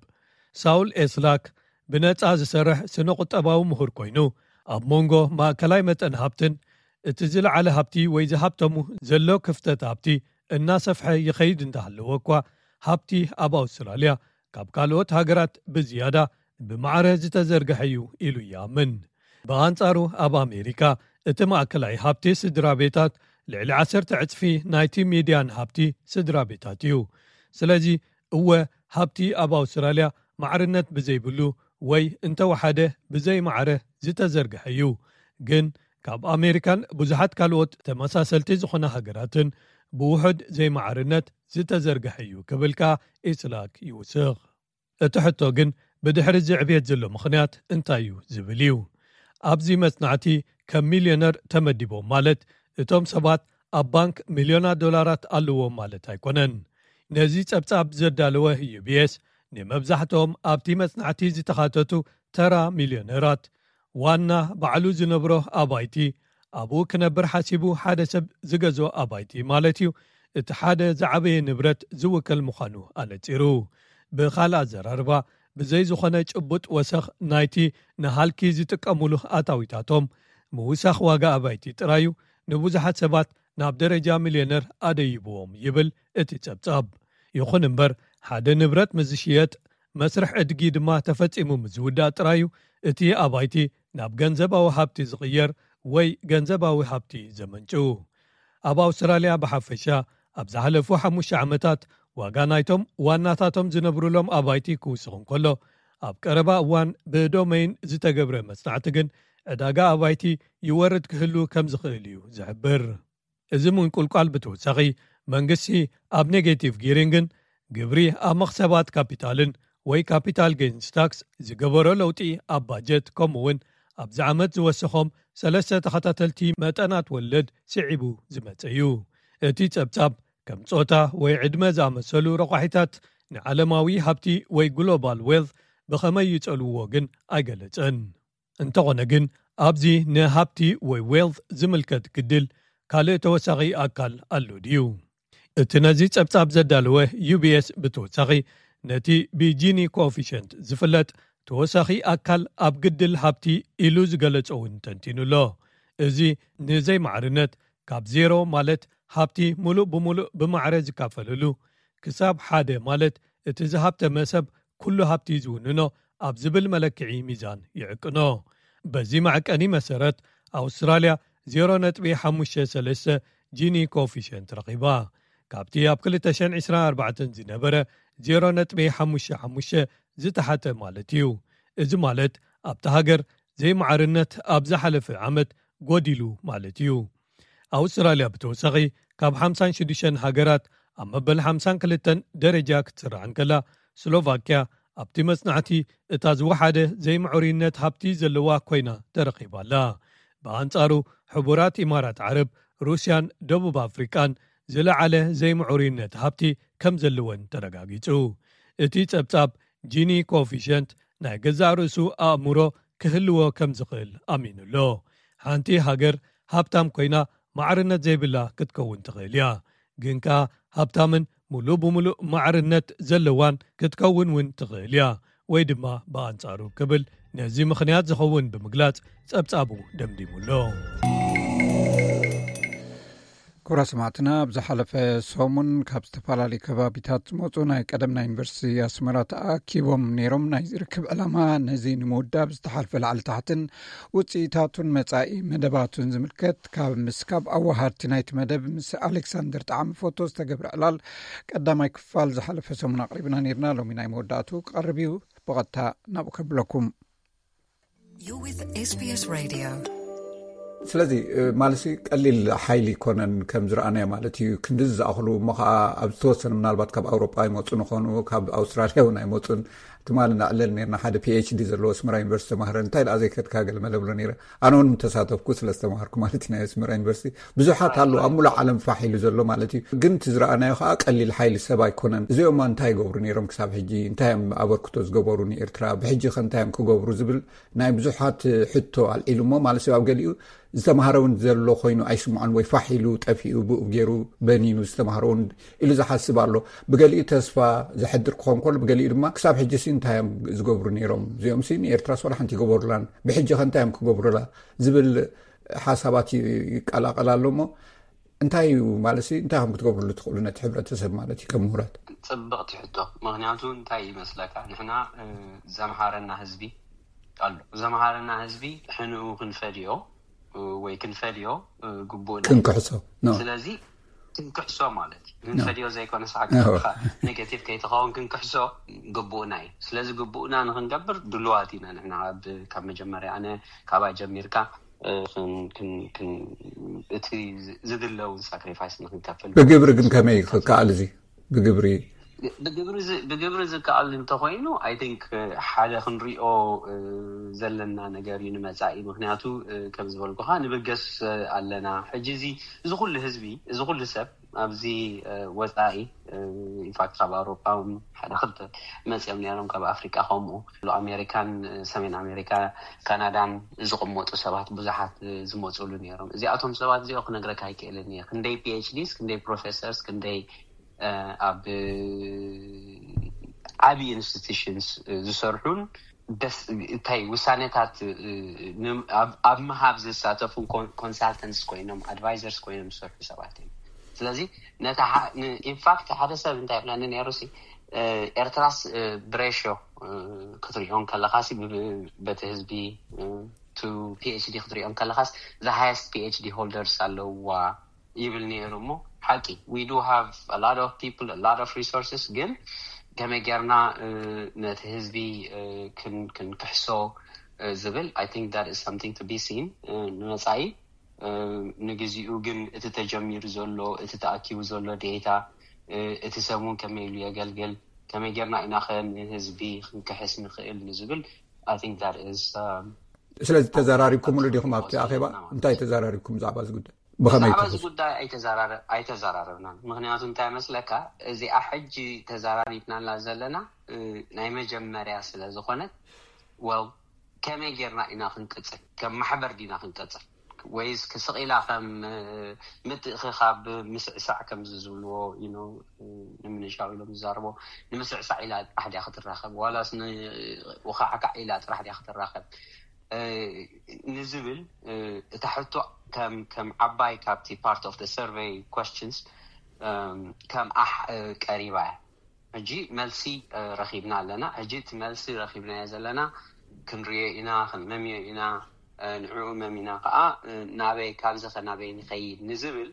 ሳውል ኤስላክ ብነጻ ዝሰርሕ ስነ ቁጠባዊ ምሁር ኮይኑ፣ ኣብ መንጎ ማእከላይ መጠን ሃብትን እቲ ዝለዓለ ሃብቲ ወይ ዝሃብተሙ ዘሎ ክፍተት ሃብቲ እናሰፍሐ ይኸይድ እንዳሃለወ እኳ፣ ሃብቲ ኣብ ኣውስትራልያ ካብ ካልኦት ሃገራት ብዝያዳ ብማዕረ ዝተዘርግሐ እዩ ኢሉ ይኣምን። ብኣንጻሩ፣ ኣብ ኣሜሪካ እቲ ማእከላይ ሃብቲ ስድራ ቤታት ልዕሊ ዓሰርተ ዕጽፊ ናይቲ ሚድያን ሃብቲ ስድራ ቤታት እዩ። ስለዚ፣ እወ፣ ሃብቲ ኣብ ኣውስትራልያ ማዕርነት ብዘይብሉ ወይ እንተወሓደ ብዘይ ማዕረ ዝተዘርግሐ እዩ። ግን ካብ ኣሜሪካን ብዙሓት ካልኦት ተመሳሰልቲ ዝኾነ ሃገራትን ብውሑድ ዘይማዕርነት ዝተዘርግሐ እዩ ክብል ከኣ ኢስላክ ይውስኽ። እቲ ሕቶ ግን ብድሕሪ እዚ ዕብየት ዘሎ ምኽንያት እንታይ እዩ ዝብል እዩ። ኣብዚ መጽናዕቲ ከም ሚልዮነር ተመዲቦም ማለት እቶም ሰባት ኣብ ባንክ ሚልዮናት ዶላራት ኣለዎም ማለት ኣይኮነን። ነዚ ጸብጻብ ዘዳለወ ዩ ቢ ኤስ ንመብዛሕትኦም ኣብቲ መጽናዕቲ ዝተኻተቱ ተራ ሚልዮነራት፣ ዋና ባዕሉ ዝነብሮ ኣባይቲ፣ ኣብኡ ክነብር ሓሲቡ ሓደ ሰብ ዝገዝኦ ኣባይቲ ማለት እዩ፣ እቲ ሓደ ዝዓበየ ንብረት ዝውከል ምዃኑ ኣነጺሩ። ብኻልእ ኣዘራርባ፣ ብዘይ ዝኾነ ጭቡጥ ወሰኽ ናይቲ ንሃልኪ ዝጥቀሙሉ ኣታዊታቶም፣ ምውሳኽ ዋጋ ኣባይቲ ጥራዩ ንብዙሓት ሰባት ናብ ደረጃ ሚልዮነር ኣደይብዎም ይብል እቲ ጸብጻብ። ይኹን እምበር፣ ሓደ ንብረት ምስ ዝሽየጥ፣ መስርሕ ዕድጊ ድማ ተፈጺሙ ምስ ዝውዳእ ጥራዩ እቲ ኣባይቲ ናብ ገንዘባዊ ሃብቲ ዝቕየር ወይ ገንዘባዊ ሃብቲ ዘመንጭው። ኣብ ኣውስትራልያ ብሓፈሻ፣ ኣብ ዝሓለፉ ሓሙሽተ ዓመታት ዋጋ ናይቶም ዋናታቶም ዝነብሩሎም ኣባይቲ ክውስኽ እንከሎ፣ ኣብ ቀረባ እዋን ብዶመይን ዝተገብረ መጽናዕቲ ግን ዕዳጋ ኣባይቲ ይወርድ ክህሉ ከም ዝኽእል እዩ ዝሕብር። እዚ ምንቁልቋል ብተወሳኺ፣ መንግስቲ ኣብ ኔጌቲቭ ጊሪንግን ግብሪ ኣብ መኽሰባት ካፒታልን ወይ ካፒታል ጌንስ ታክስ ዝገበሮ ለውጢ ኣብ ባጀት፣ ከምኡ እውን ኣብዚ ዓመት ዝወሰኾም ሰለስተ ተኸታተልቲ መጠናት ወለድ ስዒቡ ዝመጸ እዩ። እቲ ጸብጻብ ከም ጾታ ወይ ዕድመ ዝኣመሰሉ ረቋሒታት ንዓለማዊ ሃብቲ ወይ ግሎባል ዌልት ብኸመይ ይጸልውዎ ግን ኣይገለጸን። እንተኾነ ግን፣ ኣብዚ ንሃብቲ ወይ ዌልት ዝምልከት ግድል ካልእ ተወሳኺ ኣካል ኣሎ ድዩ? እቲ ነዚ ጸብጻብ ዘዳለወ ዩ ቢ ኤስ ብተወሳኺ፣ ነቲ ብጂኒ ኮኤፊሽንት ዝፍለጥ ተወሳኺ ኣካል ኣብ ግድል ሃብቲ ኢሉ ዝገለጾ እውን ተንቲኑ ኣሎ። እዚ ንዘይማዕርነት ካብ ዜሮ፣ ማለት ሃብቲ ሙሉእ ብሙሉእ ብማዕረ ዝካፈለሉ፣ ክሳብ ሓደ፣ ማለት እቲ ዝሃብተመ ሰብ ኩሉ ሃብቲ ዝውንኖ ኣብ ዝብል መለክዒ ሚዛን ይዕቅኖ። በዚ መዐቀኒ መሰረት፣ ኣውስትራልያ ዜሮ ነጥቢ ሓሙሽተ ሰለስተ ጂኒ ኮኤፊሽንት ረኺባ። ካብቲ ኣብ ክልተ ሽሕን ዕስራን ኣርባዕተን ዝነበረ ዜሮ ነጥቢ ሓሙሽተ ሓሙሽተ ዝተሓተ ማለት እዩ። እዚ ማለት ኣብታ ሃገር ዘይማዕርነት ኣብ ዝሓለፈ ዓመት ጎዲሉ ማለት እዩ። ኣውስትራልያ ብተወሳኺ ካብ ሓምሳን ሽዱሽተን ሃገራት ኣብ መበል ሓምሳን ክልተን ደረጃ ክትስራዕ እንከላ፣ ስሎቫክያ ኣብቲ መጽናዕቲ እታ ዝወሓደ ዘይምዕሩይነት ሃብቲ ዘለዋ ኮይና ተረኺባ ኣላ። ብኣንጻሩ፣ ሕቡራት ኢማራት ዓረብ፣ ሩስያን ደቡብ ኣፍሪቃን ዝለዓለ ዘይምዕሩይነት ሃብቲ ከም ዘለወን ተረጋጊጹ። እቲ ጸብጻብ ጂኒ ኮኤፊሽንት ናይ ገዛእ ርእሱ ኣእምሮ ክህልዎ ከም ዝኽእል ኣሚኑ ኣሎ። ሓንቲ ሃገር ሃብታም ኮይና ማዕርነት ዘይብላ ክትከውን ትኽእል እያ። ግን ከኣ ሃብታምን ሙሉእ ብሙሉእ ማዕርነት ዘለዋን ክትከውን እውን ትኽእል እያ፣ ወይ ድማ ብኣንጻሩ ክብል ነዚ ምኽንያት ዝኸውን ብምግላጽ ጸብጻቡ ደምዲሙ ኣሎ። ክቡራት ሰማዕትና፣ ኣብ ዝሓለፈ ሰሙን ካብ ዝተፈላለዩ ከባቢታት ዝመጹ ናይ ቀደም ናይ ዩኒቨርሲቲ ኣስመራ ተኣኪቦም ነይሮም። ናይ ርክብ ዕላማ ነዚ ንምውዳብ ዝተሓልፈ ላዕሊ ታሕትን ውጽኢታቱን መጻኢ መደባቱን ዝምልከት ካብ ምስ ካብ ኣዋሃድቲ ናይቲ መደብ ምስ ኣሌክሳንደር ጣዕሚ ፎቶ ዝተገብረ ዕላል ቀዳማይ ክፋል ዝሓለፈ ሰሙን ኣቕሪብና ነይርና። ሎሚ ናይ መወዳእቱ ክቐርብ እዩ። ብቐጥታ ናብኡ ከብለኩም። You're with S B S Radio. ስለዚ ማለት ቀሊል ሓይሊ ይኮነን ከም ዝረኣናዮ ማለት እዩ። ክንድዚ ዝኣኽሉ እሞ ከዓ ኣብ ዝተወሰነ ምናልባት ካብ ኣውሮጳ ይመፁ ንኾኑ፣ ካብ ኣውስትራልያ እውን ኣይመፁን። ትማሊ እናዕለል ነርና ሓደ ፒ ኤች ዲ ዘለዎ ኣስመራ ዩኒቨርሲቲ ተማህረ፣ እንታይ ደኣ ዘይከድካ ገለ መለ ብሎ ነይረ። ኣነ እውን ምተሳተፍኩ ስለ ዝተማሃርኩ ማለት እዩ። ናይ ኣስመራ ዩኒቨርሲቲ ብዙሓት ኣለዉ ኣብ ሙሉእ ዓለም ፋሕ ኢሉ ዘሎ ማለት እዩ። ግን እቲ ዝረኣናዮ ከዓ ቀሊል ሓይሊ ሰብ ኣይኮነን። እዚኦም እንታይ ይገብሩ ነይሮም ክሳብ ሕጂ? እንታይ እዮም ኣበርክቶ ዝገበሩ ንኤርትራ? ብሕጂ ከ እንታይ እዮም ክገብሩ ዝብል ናይ ብዙሓት ሕቶ ኣልዒሉ እሞ ማለት እዩ። ኣብ ገሊኡ ዝተማሃረ እውን ዘሎ ኮይኑ ኣይስምዖን፣ ወይ ፋሕ ኢሉ ጠፊኡ፣ ብኡ ገይሩ በኒኑ ዝተማሃረ እውን ኢሉ ዝሓስብ ኣሎ። ብገሊኡ ተስፋ ዘሕድር ክኸውን ከሎ፣ ብገሊኡ ድማ ክሳብ ሕጂ ሲ እንታይ እዮም ዝገብሩ ነይሮም? እዚኦም ሲ ንኤርትራስ ዋላ ሓንቲ ይገበሩላን፣ ብሕጂ ከ እንታይ እዮም ክገብሩላ ዝብል ሓሳባት ይቀላቀል ኣሎ። እሞ እንታይ እዩ ማለት ሲ እንታይ ከም ክትገብሩሉ ትኽእሉ ነቲ ሕብረተሰብ ማለት እዩ ከም ምሁራት? ጽብቕቲ ሕቶ። ምኽንያቱ እንታይ ይመስለካ፣ ንሕና ዘምሃረና ህዝቢ ኣሎ። ዘምሃረና ህዝቢ ሕንኡ ክንፈድዮ ወይ ክንፈድዮ ግቡእና እዩ። ክንክሕሶ። ስለዚ ክንክሕሶ ማለት እዩ። ክንፈድዮ ዘይኮነ፣ ሳዕካ ኔጌቲቭ ከይትኸውን ክንክሕሶ ግቡእና እዩ። ስለዚ ግቡእና ንክንገብር ድሉዋት ኢና ንሕና። ካብ መጀመርያ ኣነ ካባይ ጀሚርካ እቲ ዝድለውን ሳክሪፋይስ ንክንከፍል። ብግብሪ ግን ከመይ ክከኣል እዚ ብግብሪ? ብግብሪ ዝከኣል እንተኮይኑ፣ ኣይ ቲንክ ሓደ ክንሪኦ ዘለና ነገር እዩ ንመጻኢ። ምክንያቱ ከም ዝበልኩካ ንብገስ ኣለና። ሕጂ እዚ እዚ ኩሉ ህዝቢ፣ እዚ ኩሉ ሰብ ኣብዚ ወፃኢ፣ ኢንፋክት ካብ ኣውሮጳ እውን ሓደ ክልተ መፅኦም ነይሮም፣ ካብ ኣፍሪቃ ከምኡ፣ ኣሜሪካን ሰሜን ኣሜሪካ፣ ካናዳን ዝቕመጡ ሰባት ብዙሓት ዝመፅሉ ነይሮም። እዚኣቶም ሰባት እዚኦ ክነግረካ ኣይክእልን እየ፣ ክንደይ ፒኤችዲስ፣ ክንደይ ፕሮፌሰርስ፣ ክንደይ ኣብ ዓብዪ ኢንስቲቱሽንስ ዝሰርሑን እንታይ ውሳኔታት ኣብ ምሃብ ዝሳተፉን ኮንሳልተንትስ ኮይኖም፣ ኣድቫይዘርስ ኮይኖም ዝሰርሑ ሰባት እዮም። ስለዚ ኢንፋክት ሓደ ሰብ እንታይ ይብለኒ ነይሩ ሲ፣ ኤርትራስ ብሬሽዮ ክትሪኦ ከለካ ሲ፣ በቲ ህዝቢ ቱ ፒኤችዲ ክትሪኦ ከለካስ፣ the highest ፒኤችዲ ሆልደርስ ኣለውዋ ይብል ነይሩ። እሞ ሓቂ፣ we do have a lot of people, a lot of resources፣ ግን ከመይ ጌርና ነቲ ህዝቢ ክንክሕሶ ዝብል፣ I think that is something to be seen። ንመፃኢ ንግዚኡ ግን እቲ ተጀሚሩ ዘሎ፣ እቲ ተኣኪቡ ዘሎ ዴታ፣ እቲ ሰብ እውን ከመይ ኢሉ የገልግል፣ ከመይ ጌርና ኢና ከ ንህዝቢ ክንክሕስ ንኽእል ንዝብል፣ I think that is። ስለዚ ተዘራሪብኩምሉ ዲኹም ኣብቲ ኣኼባ? እንታይ ተዘራሪብኩም ብዛዕባ እዚ ጉዳይ? ብኸመይ ብዛዕባ እዚ ጉዳይ ኣይተዘራረብናን። ምክንያቱ እንታይ መስለካ፣ እዚኣ ሕጂ ተዘራሪብናላ ዘለና ናይ መጀመርያ ስለ ዝኾነት፣ well፣ ከመይ ጌርና ኢና ክንቅፅል? ከም ማሕበር ዲና ክንቅፅል? ወይስ ክስቕ ኢላ ከም ምትእኽኻብ፣ ምስዕሳዕ ከምዚ ዝብልዎ፣ ንምንሻው ኢሎም ዝዛረቦ፣ ንምስዕሳዕ ኢላ ጥራሕ ድያ ክትራኸብ፣ ዋላስ ንውኻዕካዕ ኢላ ጥራሕ ድያ ክትራኸብ ንዝብል፣ እታ ሕቶ ከም ዓባይ ካብቲ part of the survey questions ከም ኣሕ ቀሪባ እያ። ሕጂ መልሲ ረኺብና ኣለና። ሕጂ እቲ መልሲ ረኺብናዮ ዘለና ክንሪኦ ኢና፣ ክንመምዮ ኢና። ንዕኡ መሚና ከዓ ናበይ፣ ካብዚ ከ ናበይ ንኸይድ ንዝብል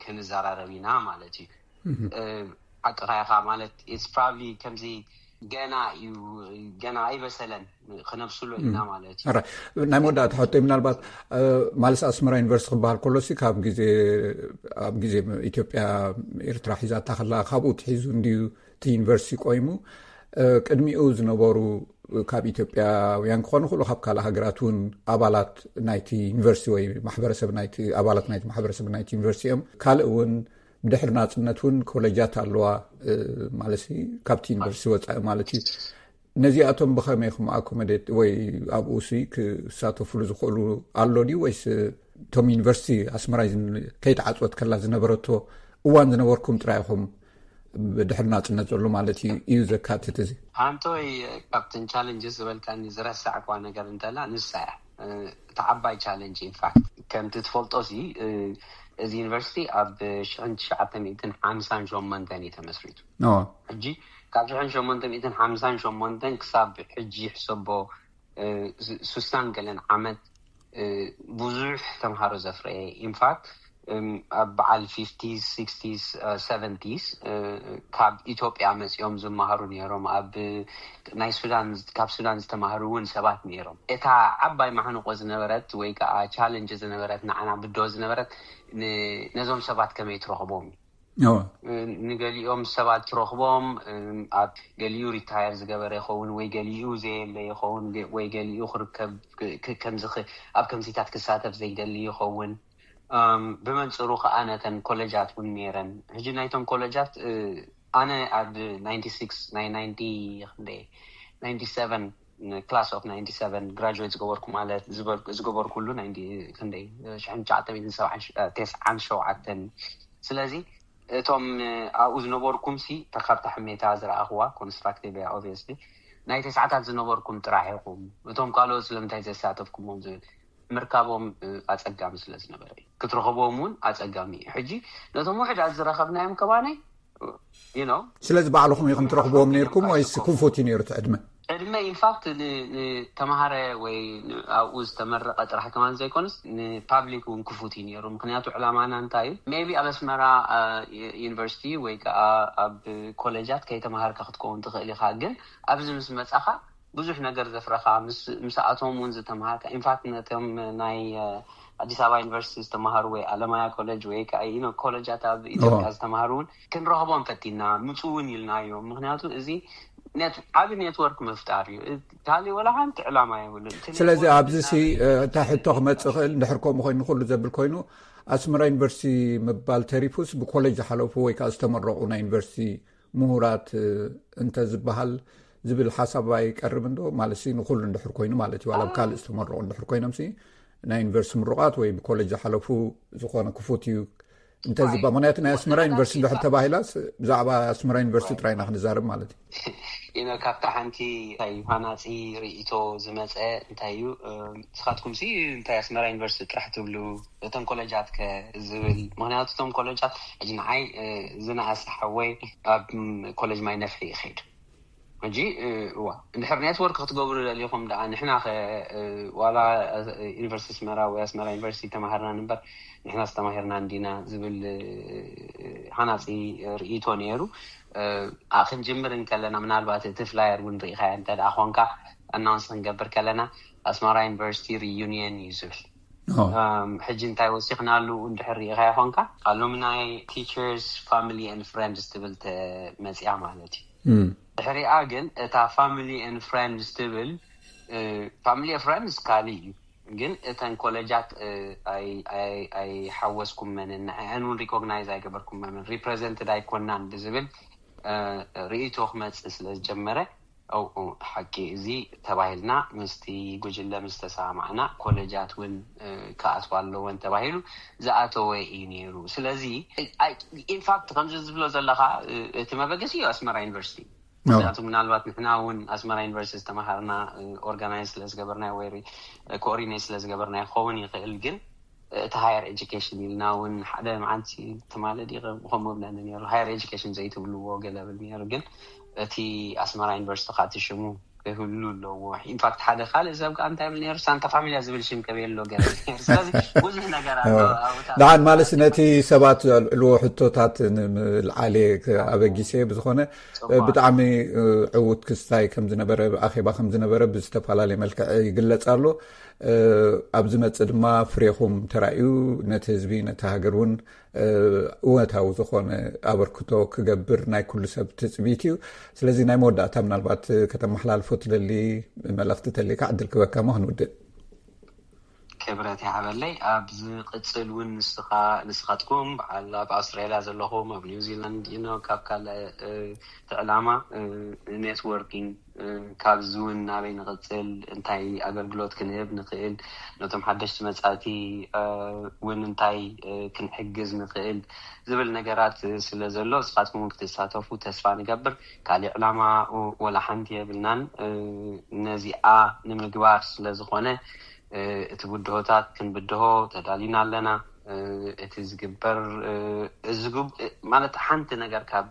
ክንዘራረብ ኢና ማለት እዩ። ሓቅኻ ኢኻ ማለት፣ it's probably ከምዚ ገና እዩ፣ ገና ኣይበሰለን፣ ክነብስሎ ኢና ማለት እዩ። ናይ መወዳእታ ሕቶ፣ ምናልባት ማለት ኣስመራ ዩኒቨርሲቲ ክበሃል ከሎሲ ካብ ግዜ፣ ኣብ ግዜ ኢትዮጵያ ኤርትራ ሒዛታ ከላ ካብኡ ትሒዙ እንድዩ እቲ ዩኒቨርሲቲ ቆይሙ። ቅድሚኡ ዝነበሩ ካብ ኢትዮጵያውያን ክኾኑ ክእሉ፣ ካብ ካልእ ሃገራት እውን ኣባላት ናይቲ ዩኒቨርሲቲ ወይ ማሕበረሰብ ናይቲ፣ ኣባላት ናይቲ ማሕበረሰብ ናይቲ ዩኒቨርሲቲ እዮም። ካልእ እውን ብድሕሪ ናጽነት እውን ኮለጃት ኣለዋ ማለት ካብቲ ዩኒቨርሲቲ ወፃኢ ማለት እዩ። ነዚኣቶም ብኸመይ ኢኹም ኣኮመዴት ወይ ኣብኡ ሲ ክሳተፍሉ ዝኽእሉ ኣሎ ድዩ? ወይስ እቶም ዩኒቨርሲቲ ኣስመራ ከይተዓፅወት ከላ ዝነበረቶ እዋን ዝነበርኩም ጥራይ ኢኹም ብድሕሪ ናፅነት ዘሎ ማለት እዩ ዘካትት እዚ? ሓንቶይ ካብተን ቻለንጅስ ዝበልካኒ ዝረሳዕኳ ነገር እንተላ ንሳ እያ። እቲ ዓባይ ቻለንጅ ኢንፋክት ከምቲ ትፈልጦ ሲ፣ እዚ ዩኒቨርሲቲ ኣብ ሽሕን ትሽዓተ ሚእትን ሓምሳን ሸሞንተን እዩ ተመስሪቱ። ሕጂ ካብ ሽሕን ሸሞንተ ሚእትን ሓምሳን ሸሞንተን ክሳብ ሕጂ ሕሰቦ፣ ሱሳን ገለን ዓመት ብዙሕ ተምሃሮ ዘፍረየ። ኢንፋክት ኣብ በዓል ፊፍቲስ ሲክስቲስ ሰቨንቲስ ካብ ኢትዮጵያ መፂኦም ዝመሃሩ ነይሮም። ኣብ ናይ ሱዳን፣ ካብ ሱዳን ዝተማሃሩ እውን ሰባት ነይሮም። እታ ዓባይ ማሕንቆ ዝነበረት ወይ ከዓ ቻለንጅ ዝነበረት፣ ንዓና ብድሆ ዝነበረት፣ ነዞም ሰባት ከመይ ትረኽቦም እዩ። ንገሊኦም ሰባት ትረኽቦም፣ ኣብ ገሊኡ ሪታየር ዝገበረ ይኸውን ወይ ገሊኡ ዘየለ ይኸውን ወይ ገሊኡ ክርከብ፣ ከምዚ ኣብ ከምዚታት ክሳተፍ ዘይደሊ ይኸውን። ብመንፅሩ ከዓ ነተን ኮለጃት እውን ነይረን። ሕጂ ናይቶም ኮለጃት ኣነ ኣብ ናይንቲ ሲክስ ናይ ናይንቲ ክንደይ ናይንቲ ሰቨን class of ninety seven graduate ዝገበርኩ ማለት ዝበል- ዝገበርኩሉ ናይ ክንደይ ሽሕን ትሽዓተ ሚእትን ሰብዓን ሸውዓተን። ስለዚ እቶም ኣብኡ ዝነበርኩም ሲ ተካብታ ሕሜታ ዝረኣኽዋ constructive እያ obviously። ናይ ተስዓታት ዝነበርኩም ጥራሕ ኢኹም፣ እቶም ካልኦት ስለምንታይ ዘሳተፍኩሞም ዝብል ምርካቦም ኣጸጋሚ ስለ ዝነበረ እዩ። ክትረኽቦም እውን ኣጸጋሚ እዩ። ሕጂ ነቶም ውሕዳት ዝረኸብናዮም ከባናይ you know ስለዚ ባዕልኹም ኢኹም ትረኽብዎም ነርኩም ወይስ ክፉት እዩ ነሩ እቲ ዕድመ? ዕድመ ኢንፋክት ንተምሃረ ወይ ኣብኡ ዝተመረቐ ጥራሕ ከማን ዘይኮነስ ንፓብሊክ እውን ክፉት እዩ ነሩ። ምክንያቱ ዕላማና እንታይ እዩ? maybe ኣብ ኣስመራ ዩኒቨርሲቲ ወይ ከዓ ኣብ ኮሌጃት ከይተምሃርካ ክትከውን ትኽእል ኢኻ። ግን ኣብዚ ምስ መፃኻ ብዙሕ ነገር ዘፍረኻ ምስኣቶም እውን ዝተምሃርካ ኢንፋክት ነቶም ናይ ኣዲስ ኣበባ ዩኒቨርሲቲ ዝተምሃሩ ወይ ኣለማያ ኮሌጅ ወይ ከዓ ኮሌጃት ኣብ ኢትዮጵያ ዝተምሃሩ እውን ክንረኽቦም ፈቲና ምፁ እውን ኢልናዮም። ምክንያቱ እዚ ዓብ ኔትወርክ ምፍጣር እዩ። ካሊእ ወላ ሓንቲ ዕላማ የብሉን። ስለዚ ኣብዚ ሲ እታ ሕቶ ክመፅእ ክእል እንድሕር ከምኡ ኮይኑ ኩሉ ዘብል ኮይኑ ኣስመራ ዩኒቨርሲቲ ምባል ተሪፉስ ብኮሌጅ ዝሓለፉ ወይ ከዓ ዝተመረቑ ናይ ዩኒቨርሲቲ ምሁራት እንተ ዝበሃል ዝብል ሓሳብ ኣይቀርብ እንዶ ማለት ንኩሉ እንድሕር ኮይኑ ማለት እዩ ዋላ ካልእ ዝተመረቑ እንድሕር ኮይኖም ናይ ዩኒቨርሲቲ ምሩቓት ወይ ብኮሌጅ ዝሓለፉ ዝኾነ ክፉት እዩ እንተ ዝበ ምክንያቱ ናይ ኣስመራ ዩኒቨርሲቲ እንድሕር ተባሂላስ ብዛዕባ ኣስመራ ዩኒቨርሲቲ ጥራይና ክንዛረብ ማለት እዩ። ኢኖ ካብታ ሓንቲ ታይ ሃናፂ ርእቶ ዝመፀ እንታይ እዩ? ንስኻትኩም ሲ እንታይ ኣስመራ ዩኒቨርሲቲ ጥራሕ ትብሉ እቶም ኮሌጃት ከ ዝብል ምክንያቱ እቶም ኮሌጃት ሕጂ ንዓይ ዝነኣሰ ሓወይ ኣብ ኮሌጅ ማይ ነፍሒ ይኸይድ ሕጂ እዋ እንድሕር ኔትወርክ ክትገብሩ ደሊኹም ደኣ ንሕና ከ ዋላ ዩኒቨርሲቲ ኣስመራ ወይ ኣስመራ ዩኒቨርሲቲ ተማሃርና ንበር ንሕና ዝተማሂርና እንዲና ዝብል ሃናፂ ርእቶ ነይሩ። ክንጅምር እንከለና ምናልባት እቲ ፍላየር እውን ርኢኻያ እንተ ደኣ ኮንካ ኣናውንስ ክንገብር ከለና ኣስመራ ዩኒቨርሲቲ ሪዩኒየን እዩ ዝብል። ሕጂ እንታይ ወሲኽናሉ እንድሕር ርኢኻያ ኮንካ ኣሉምናይ teachers family and friends ትብል መፅያ ማለት እዩ። ድሕሪኣ ግን እታ family and friends ትብል family and friends ካሊእ እዩ። ግን እተን ኮሌጃት ኣይሓወስኩመንን ንዕአን እውን ሪኮግናይዝ ኣይገበርኩመንን ሪፕሬዘንትድ ኣይኮናን ብዝብል ርእቶ ክመፅእ ስለ ዝጀመረ ኣው ሓቂ እዚ ተባሂልና ምስቲ ጉጅለ ምስ ተሰማማዕና ኮለጃት እውን ክኣትዋ ኣለወን ተባሂሉ ዝኣተወ እዩ ነይሩ። ስለዚ ኢንፋክት ከምዚ ዝብሎ ዘለካ እቲ መበገሲ እዩ ኣስመራ ዩኒቨርሲቲ። ምክንያቱ ምናልባት ንሕና እውን ኣስመራ ዩኒቨርሲቲ ዝተመሃርና ኦርጋናይዝ ስለዝገበርናዮ ወይ ኮኦርዲኔት ስለዝገበርናዮ ክኸውን ይኽእል ግን እቲ ሃየር ኤጁኬሽን ኢልና እውን ሓደ መዓልቲ ትማሊ ዲ ከምኡ ብለኒ ነሩ ሃየር ኤጁኬሽን ዘይትብልዎ ገለ ብል ነሩ ግን እቲ ኣስመራ ዩኒቨርሲቲ ካቲ ሽሙ ክህሉ ኣለዎ። ኢንፋክት ሓደ ካልእ ሰብ ከዓ እንታይ ብል ነሩ ሳንታ ፋሚልያ ዝብል ሽም ከበየ ኣሎ ገለ ነሩ ስለዚ ብዙሕ ነገር ኣሎ። ኣብታ ደሓን ማለት ነቲ ሰባት ዘልዕልዎ ሕቶታት ንምልዓል ኣበጊሰ ብዝኾነ ብጣዕሚ ዕዉት ክስታይ ከም ዝነበረ ኣኼባ ከም ዝነበረ ብዝተፈላለየ መልክዕ ይግለጽ ኣሎ። ኣብ ዝመፅእ ድማ ፍሬኹም ተራእዩ ነቲ ህዝቢ ነቲ ሃገር እውን እወታዊ ዝኾነ ኣበርክቶ ክገብር ናይ ኩሉ ሰብ ትፅቢት እዩ። ስለዚ ናይ መወዳእታ ምናልባት ከተመሓላልፎ ትደሊ መልእኽቲ ተልካ ዕድል ክበካ ሞ ክንውድእ። ክብረት ይሃበለይ። ኣብ ዝቕፅል እውን ንስኻ ንስኻትኩም በዓል ኣብ ኣውስትራሊያ ዘለኹም ኣብ ኒውዚላንድ ኖ ካብ ካልእ እቲ ዕላማ ኔትወርኪንግ ካብዚ እውን ናበይ ንቕፅል እንታይ ኣገልግሎት ክንህብ ንኽእል ነቶም ሓደሽቲ መፃእቲ እውን እንታይ ክንሕግዝ ንኽእል ዝብል ነገራት ስለ ዘሎ እስኻትኩም ክትሳተፉ ተስፋ ንገብር። ካሊእ ዕላማ ወላ ሓንቲ የብልናን። ነዚኣ ንምግባር ስለ ዝኾነ እቲ ብድሆታት ክንብድሆ ተዳሊና ኣለና። እቲ ዝግበር ማለት ሓንቲ ነገር ካብ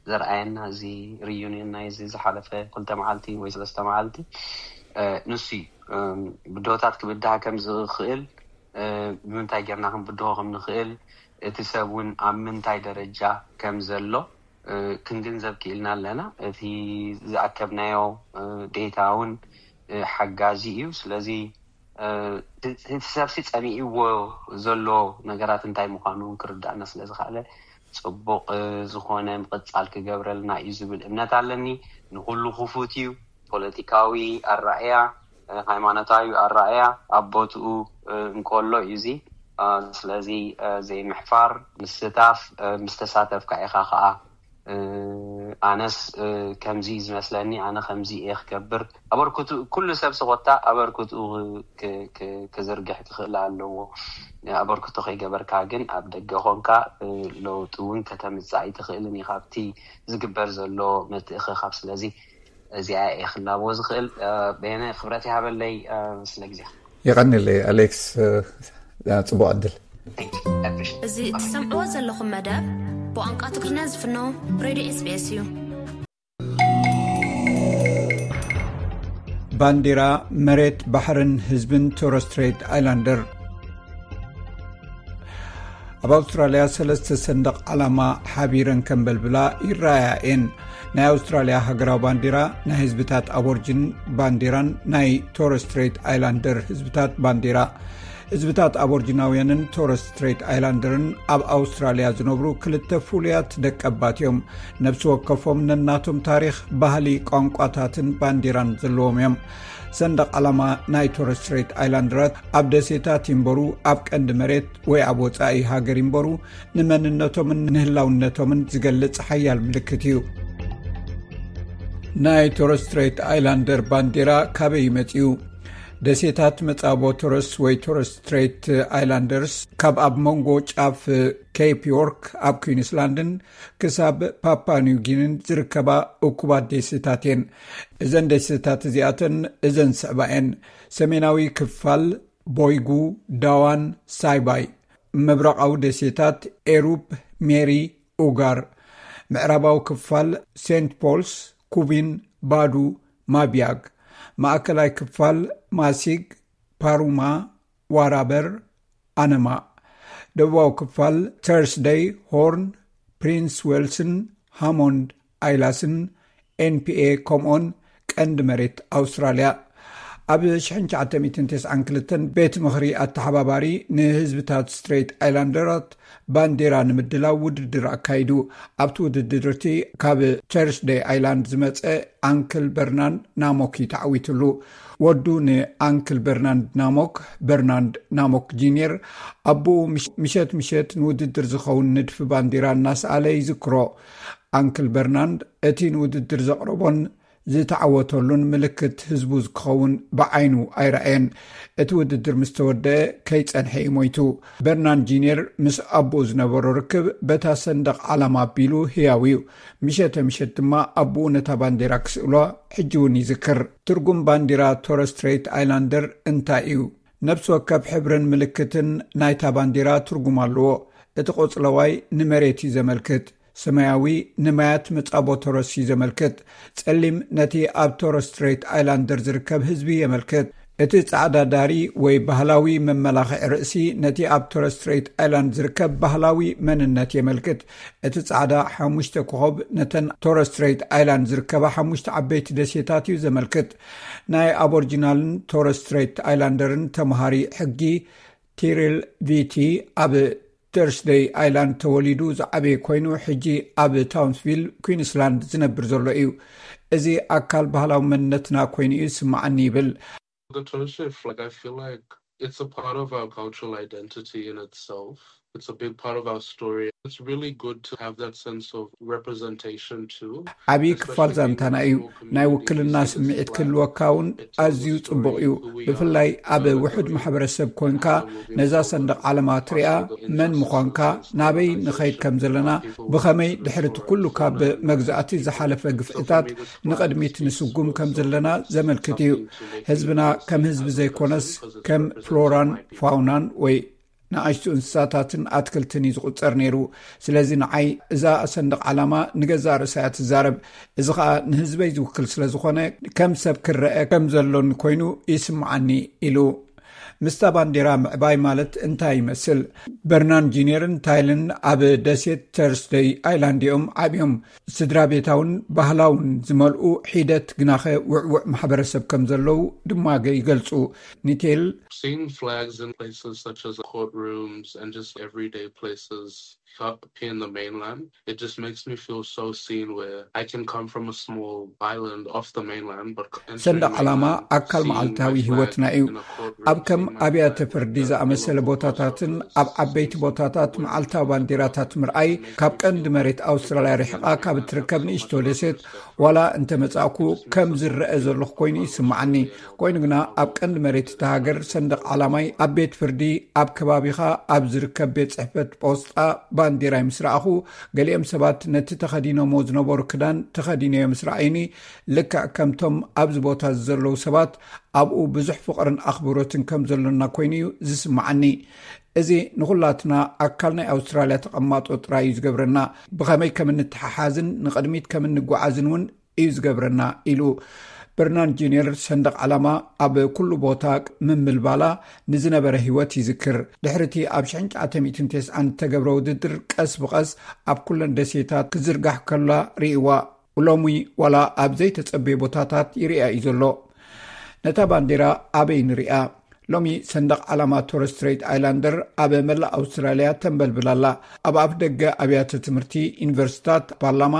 ዘርኣየና እዚ ሪዩኒየን ናይ እዚ ዝሓለፈ ክልተ መዓልቲ ወይ ሰለስተ መዓልቲ ንሱ እዩ። ብድሆታት ክብድሃ ከም ዝኽእል ብምንታይ ጌርና ክንብድሆ ከም ንኽእል እቲ ሰብ እውን ኣብ ምንታይ ደረጃ ከም ዘሎ ክንግንዘብ ክኢልና ኣለና። እቲ ዝኣከብናዮ ዴታ እውን ሓጋዚ እዩ። ስለዚ እቲ ሰብሲ ፀሚእዎ ዘሎ ነገራት እንታይ ምዃኑ እውን ክርዳእና ስለ ዝኽኣለ ፅቡቕ ዝኾነ ምቕፃል ክገብረልና እዩ ዝብል እምነት ኣለኒ። ንኩሉ ክፉት እዩ። ፖለቲካዊ ኣራእያ፣ ሃይማኖታዊ ኣራእያ ኣብ ቦትኡ እንከሎ እዩ እዚ። ስለዚ ዘይምሕፋር፣ ምስታፍ፣ ምስ ተሳተፍካ ኢኻ ከዓ ኣነስ ከምዚ ዝመስለኒ፣ ኣነ ከምዚ እየ ክገብር፣ ኣበርክቱ፣ ኩሉ ሰብ ስቆታ ኣበርክቱ ክዝርግሕ ክኽእል ኣለዎ። ኣበርክቶ ከይገበርካ ግን ኣብ ደገ ኮንካ ለውጢ እውን ከተምፅእ ኣይትኽእልን ኢኻ ኣብቲ ዝግበር ዘሎ ምትእኽኻብ። ስለዚ እዚኣ እየ ክላቦ ዝኽእል። በየነ፣ ክብረት ይሃበለይ ስለ ግዜ። የቐንለይ ኣሌክስ፣ ፅቡቅ ዕድል። እዚ ትሰምዕዎ ዘለኹም መደብ ብቋንቋ ትግርኛ ዝፍኖ ሬድዮ ኤስቢኤስ እዩ። ባንዲራ፣ መሬት፣ ባሕርን ህዝብን ቶረስ ስትሬት ኣይላንደር። ኣብ ኣውስትራልያ ሰለስተ ሰንደቕ ዓላማ ሓቢረን ከንበልብላ ይረኣያ እየን። ናይ ኣውስትራልያ ሃገራዊ ባንዲራ፣ ናይ ህዝብታት ኣቦርጅን ባንዲራን ናይ ቶረስ ስትሬት ኣይላንደር ህዝብታት ባንዲራ። ህዝብታት ኣቦርጅናውያንን ቶረስ ስትሬት ኣይላንደርን ኣብ ኣውስትራልያ ዝነብሩ ክልተ ፍሉያት ደቀባት እዮም። ነብሲ ወከፎም ነናቶም ታሪኽ፣ ባህሊ፣ ቋንቋታትን ባንዲራን ዘለዎም እዮም። ሰንደቕ ዓላማ ናይ ቶረስ ስትሬት ኣይላንደራት ኣብ ደሴታት ይንበሩ፣ ኣብ ቀንዲ መሬት ወይ ኣብ ወጻኢ ሃገር ይንበሩ፣ ንመንነቶምን ንህላውነቶምን ዝገልጽ ሓያል ምልክት እዩ። ናይ ቶረስ ስትሬት ኣይላንደር ባንዲራ ካበይ ይመጽኡ? ደሴታት መጻቦ ቶረስ ወይ ቶረስ ስትሬት ኣይላንደርስ ካብ ኣብ መንጎ ጫፍ ኬፕ ዮርክ ኣብ ኩዊንስላንድን ክሳብ ፓፓ ኒው ጊኒን ዝርከባ እኩባት ደሴታት እየን። እዘን ደሴታት እዚኣተን እዘን ስዕባ እየን። ሰሜናዊ ክፋል ቦይጉ፣ ዳዋን፣ ሳይባይ። ምብራቓዊ ደሴታት ኤሩፕ፣ ሜሪ፣ ኡጋር። ምዕራባዊ ክፋል ሴንት ፖልስ፣ ኩቢን፣ ባዱ፣ ማቢያግ። ማእከላይ ክፋል ማሲግ፣ ፓሩማ፣ ዋራበር፣ ኣነማ። ደቡባዊ ክፋል ተርስደይ፣ ሆርን፣ ፕሪንስ ዌልስን፣ ሃሞንድ ኣይላስን፣ ኤንፒኤ፣ ከምኡን ቀንዲ መሬት ኣውስትራልያ። ኣብ ሽሕን ትሽዓተ ሚእትን ተስዓን ክልተን ቤት ምኽሪ ኣተሓባባሪ ንህዝብታት ስትሬት ኣይላንደራት ባንዴራ ንምድላው ውድድር ኣካይዱ። ኣብቲ ውድድር እቲ ካብ ተርስደይ ኣይላንድ ዝመጸ ኣንክል በርናንድ ናሞክ እዩ ተዓዊትሉ። ወዱ ንኣንክል በርናንድ ናሞክ፣ በርናንድ ናሞክ ጂኒየር፣ ኣቦኡ ምሽ-፣ ምሸት ምሸት ንውድድር ዝኸውን ንድፊ ባንዴራ እናሰኣለ ይዝክሮ። ኣንክል በርናንድ እቲ ንውድድር ዘቕረቦን ዝተዓወተሉን ምልክት ህዝቡ ክኸውን ብዓይኑ ኣይረኣየን። እቲ ውድድር ምስ ተወደአ ከይጸንሐ እዩ ሞይቱ። በርናንድ ጂኒየር ምስ ኣቦኡ ዝነበሮ ርክብ በታ ሰንደቕ ዓላማ ኣቢሉ ህያው እዩ። ምሸተ ምሸት ድማ ኣቦኡ ነታ ባንዴራ ክስእሎ ሕጂ እውን ይዝክር። ትርጉም ባንዲራ ቶረስ ስትሬት ኣይላንደር እንታይ እዩ? ነብሲ ወከፍ ሕብርን ምልክትን ናይታ ባንዲራ ትርጉም ኣለዎ። እቲ ቆጽለዋይ ንመሬት እዩ ዘመልክት። ሰማያዊ ንማያት መጻቦ ቶረስ እዩ ዘመልክት። ጸሊም ነቲ ኣብ ቶረስ ስትሬት ኣይላንደር ዝርከብ ህዝቢ የመልክት። እቲ ጻዕዳ ዳሪ ወይ ባህላዊ መመላኽዒ ርእሲ ነቲ ኣብ ቶረስ ስትሬት ኣይላንድ ዝርከብ ባህላዊ መንነት የመልክት። እቲ ጻዕዳ ሓሙሽተ ኮኾብ ነተን ቶረስ ስትሬት ኣይላንድ ዝርከባ ሓሙሽተ ዓበይቲ ደሴታት እዩ ዘመልክት። ናይ ኣቦርጂናልን ቶረስ ስትሬት ኣይላንደርን ተምሃሪ ሕጊ ቲሪል ቪቲ ኣብ ተርስደይ ኣይላንድ ተወሊዱ ዝዓበየ ኮይኑ፣ ሕጂ ኣብ ታውንስቪል ኩዊንስላንድ ዝነብር ዘሎ እዩ። እዚ ኣካል ባህላዊ መንነትና ኮይኑ እዩ ዝስምዓኒ ይብል። The Torres Strait flag, I feel like it's a part of our cultural identity in itself. It's a big part of our story. It's really good to have that sense of representation too. ዓብዪ ክፋል ዛንታና እዩ። ናይ ውክልና ስምዒት ክህልወካ እውን ኣዝዩ ጽቡቕ እዩ። ብፍላይ ኣብ ውሑድ ማሕበረሰብ ኮንካ ነዛ ሰንደቕ ዓለማ ትሪኣ፣ መን ምዃንካ፣ ናበይ ንኸይድ ከም ዘለና፣ ብኸመይ ድሕሪ እቲ ኩሉ ካብ መግዛእቲ ዝሓለፈ ግፍዕታት ንቕድሚት ንስጉም ከም ዘለና ዘመልክት እዩ። ህዝብና ከም ህዝቢ ዘይኮነስ ከም ፍሎራን ፋውናን ወይ ንኣሽቱ እንስሳታትን ኣትክልትን እዩ ዝቑጸር ነይሩ። ስለዚ ንዓይ እዛ ሰንደቕ ዓላማ ንገዛእ ርእሳ እያ ትዛረብ። እዚ ኸኣ ንህዝበይ ዝውክል ስለ ዝኾነ ከም ሰብ ክረአ ከም ዘሎኒ ኮይኑ ይስምዓኒ ኢሉ። ምስታ ባንዴራ ምዕባይ ማለት እንታይ ይመስል? በርናን ጂኒየርን ታይልን ኣብ ደሴት ተርስደይ ኣይላንድ እዮም ዓብዮም። ስድራ ቤታውን ባህላውን ዝመልኡ ሒደት ግናኸ ውዕውዕ ማሕበረሰብ ከም ዘለዉ ድማ ገ-፣ ይገልጹ። ኒቴል Seeing flags in places such as courtrooms and just everyday places up here in the mainland, it just makes me feel so seen, where I can come from a small island off the mainland, but entering ሰንደቕ ዓላማ mainland, ኣካል seeing መዓልታዊ my ህይወትና flag እዩ። In a courtroom, ኣብ ከም seeing my ኣብያተ flag ፍርዲ in the ዝኣመሰለ middle of ቦታታትን Australia, ኣብ ዓበይቲ ቦታታት መዓልታዊ ባንዲራታት ምርኣይ፣ ካብ ቀንዲ መሬት ኣውስትራልያ ርሒቓ ካብ እትርከብ ንእሽቶ ደሴት፣ ዋላ እንተ መጻእኩ፣ ከም ዝረአ ዘለኹ ኮይኑ ይስምዓኒ። ኮይኑ ግና ኣብ ቀንዲ መሬት እታ ሃገር ሰንደቕ ዓላማይ ኣብ ቤት ፍርዲ፣ ኣብ ከባቢኻ ኣብ ዝርከብ ቤት ጽሕፈት ፖስጣ ባንዲራይ ምስ ረኣኹ፣ ገሊኦም ሰባት ነቲ ተኸዲኖሞ ዝነበሩ ክዳን ተኸዲነዮ ምስ ረኣዩኒ፣ ልክዕ ከምቶም ኣብዚ ቦታ ዘለዉ ሰባት ኣብኡ ብዙሕ ፍቕርን ኣኽብሮትን ከም ዘሎና ኮይኑ እዩ ዝስምዓኒ። እዚ ንኹላትና ኣካል ናይ ኣውስትራልያ ተቐማጦ ጥራይ እዩ ዝገብረና። ብኸመይ ከም እንተሓሓዝን ንቕድሚት ከም እንጓዓዝን እውን እዩ ዝገብረና ኢሉ። በርናን ጁኒየር ሰንደቕ ዓላማ ኣብ ኩሉ ቦታ ምምልባላ ንዝነበረ ህይወት ይዝክር። ድሕሪ እቲ ኣብ ሽሕን ትሽዓተ ሚእትን ተስዓን እተገብረ ውድድር ቀስ ብቐስ ኣብ ኩለን ደሴታት ክዝርጋሕ ከላ ርእይዋ። ሎሚ ዋላ ኣብ ዘይተጸበየ ቦታታት ይርኣ እዩ ዘሎ። ነታ ባንዴራ ኣበይ ንርኣ? ሎሚ ሰንደቕ ዓላማ ቶረስ ስትሬት ኣይላንደር ኣብ መላእ ኣውስትራልያ ተንበልብል ኣላ። ኣብ ኣፍ ደገ ኣብያተ ትምህርቲ፣ ዩኒቨርሲታት፣ ፓርላማ፣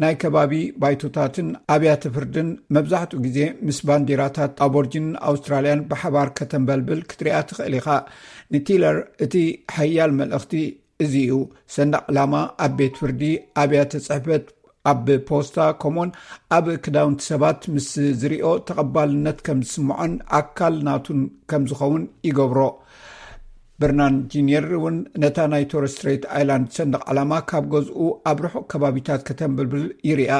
ናይ ከባቢ ባይቶታትን ኣብያተ ፍርድን መብዛሕትኡ ግዜ ምስ ባንዲራታት ኣቦርጂንን ኣውስትራልያን ብሓባር ከተንበልብል ክትሪኣ ትኽእል ኢኻ። ንቲለር እቲ ሓያል መልእኽቲ እዚ እዩ። ሰንደቕ ዕላማ ኣብ ቤት ፍርዲ፣ ኣብያተ ጽሕፈት፣ ኣብ ፖስታ፣ ከምኡውን ኣብ ክዳውንቲ ሰባት ምስ ዝሪኦ ተቐባልነት ከም ዝስምዖን ኣካል ናቱን ከም ዝኸውን ይገብሮ። በርናን ጂኒየር እውን ነታ ናይ ቶረስ ስትሬት ኣይላንድ ሰንደቕ ዕላማ ካብ ገዝኡ ኣብ ርሑቕ ከባቢታት ከተንብልብል ይርኣ።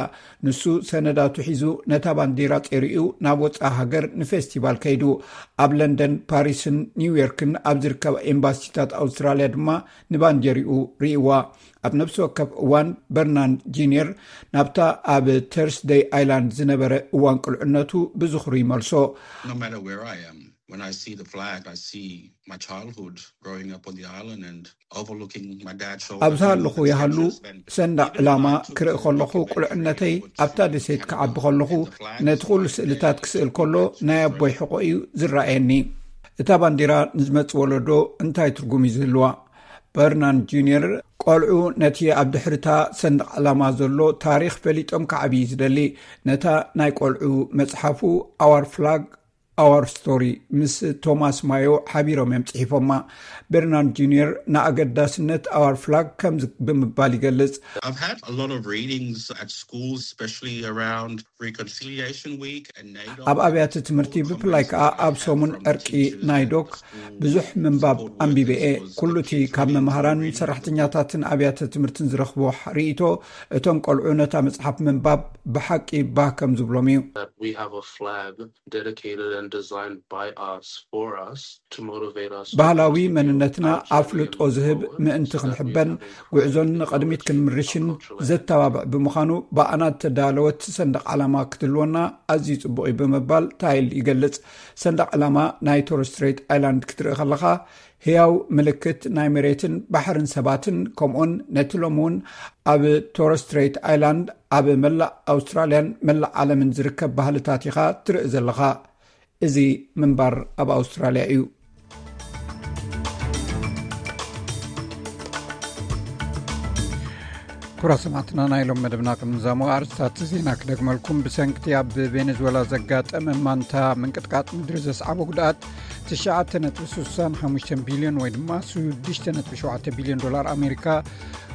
ንሱ ሰነዳቱ ሒዙ ነታ ባንዲራ ጼሪኡ ናብ ወጻኢ ሃገር ንፌስቲቫል ከይዱ። ኣብ ለንደን፣ ፓሪስን ኒውዮርክን ኣብ ዝርከባ ኤምባሲታት ኣውስትራልያ ድማ ንባንዴሪኡ ርእይዋ። ኣብ ነፍሲ ወከፍ እዋን በርናን ጂኒየር ናብታ ኣብ ተርስደይ ኣይላንድ ዝነበረ እዋን ቁልዕነቱ ብዝኽሩ ይመልሶ። No matter where I am, when I see the flag, I see my childhood growing up on the island and overlooking my dad's shoulder. ኣብዚ ሃለኹ ይሃሉ ሰንደቕ ዕላማ ክርኢ ከለኹ ቁልዕነተይ ኣብታ ደሴት ክዓቢ ከለኹ ነቲ ኩሉ ስእልታት ክስእል ከሎ ናይ ኣቦይ ሕቖ እዩ ዝረኣየኒ። እታ ባንዲራ ንዝመጽእ ወለዶ እንታይ ትርጉም እዩ ዝህልዋ? በርናን ጁኒየር ቆልዑ ነቲ ኣብ ድሕርታ ሰንደቕ ዕላማ ዘሎ ታሪኽ ፈሊጦም ክዓብዩ ዝደሊ። ነታ ናይ ቆልዑ መጽሓፉ ኣዋር ፍላግ ኣዋር ስቶሪ ምስ ቶማስ ማዮ ሓቢሮም እዮም ጽሒፎማ። በርናን ጁኒየር ንኣገዳስነት ኣዋር ፍላግ ከምዚ ብምባል ይገልጽ። I've had a lot of readings at schools, especially around Reconciliation Week and NAIDOC. ኣብ ኣብያተ ትምህርቲ ብፍላይ ከኣ ኣብ ሰሙን ዕርቂ ናይዶክ ብዙሕ ምንባብ ኣንቢበ እየ። ኩሉ እቲ ካብ መምሃራን ሰራሕተኛታትን ኣብያተ ትምህርትን ዝረኽቦ ርእይቶ፣ እቶም ቆልዑ ነታ መጽሓፍ ምንባብ ብሓቂ ባህ ከም ዝብሎም እዩ። That we have a flag dedicated and designed by us, for us, to motivate us to ባህላዊ continue መንነትና our journey ኣፍልጦ and move ዝህብ forward, ምእንቲ so that we ክንሕበን have a ጉዕዞን great ንቕድሚት knowledge ክንምርሽን of our cultural ዘተባብዕ ብምዃኑ፣ ብኣና እተዳለወት ሰንደቕ ዓላማ ክትህልወና ኣዝዩ ጽቡቕ እዩ ብምባል ታይል ይገልጽ። ሰንደቕ ዓላማ ናይ ቶረስ ስትሬት ኣይላንድ ክትርኢ ከለኻ፣ ህያው ምልክት ናይ መሬትን ባሕርን ሰባትን፣ ከምኡውን ነቲ ሎሚ እውን ኣብ ቶረስ ስትሬት ኣይላንድ ኣብ መላእ ኣውስትራልያን መላእ ዓለምን ዝርከብ ባህልታት ኢኻ ትርኢ ዘለኻ። እዚ ምንባር ኣብ ኣውስትራልያ እዩ። ክቡራት ሰማዕትና፣ ናይ ሎም መደብና ቅድሚ ዛሞ ኣርእስታት ዜና ክደግመልኩም። ብሰንክቲ ኣብ ቬኔዙዌላ ዘጋጠመ ማንታ ምንቅጥቃጥ ምድሪ ዘስዓቦ ጉድኣት ትሽዓተ ነጥቢ ስሳን ሓሙሽተን ቢልዮን ወይ ድማ ሽዱሽተ ነጥቢ ሸውዓተ ቢልዮን ዶላር ኣሜሪካ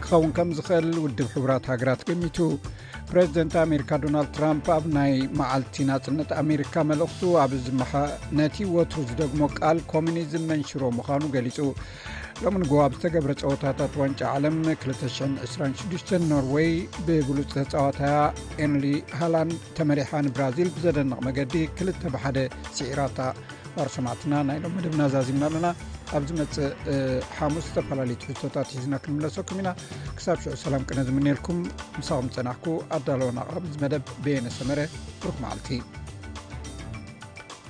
ክኸውን ከም ዝኽእል ውድብ ሕቡራት ሃገራት ገሚቱ። ፕሬዚደንት ኣሜሪካ ዶናልድ ትራምፕ ኣብ ናይ መዓልቲ ናጽነት ኣሜሪካ መልእኽቱ ኣብ ዝመሓ-፣ ነቲ ወትሩ ዝደግሞ ቃል ኮሚኒዝም መንሽሮ ምዃኑ ገሊጹ። ሎሚ ንግሆ ኣብ ዝተገብረ ጸወታታት ዋንጫ ዓለም ክልተ ሽሕን ዕስራን ሽዱሽተን ኖርወይ ብብሉጽ ተጻዋታያ ኤርሊ ሃላንድ ተመሪሓ ንብራዚል ብዘደንቕ መገዲ ክልተ ብሓደ ስዒራታ። ክቡራት ሰማዕትና፣ ናይ ሎም መደብና ዛዚምና ኣለና። ኣብ ዝመጽእ፣ እ፣ ሓሙስ ዝተፈላለዩ ትሕዝቶታት ሒዝና ክንምለሰኩም ኢና። ክሳብ ሽዑ ሰላም ቅነ ዝምነየልኩም። ምሳኹም ዝጸናሕኩ ኣዳለወን ኣቕራቢ እዚ መደብ በየነ ሰመረ። ብሩኽ መዓልቲ።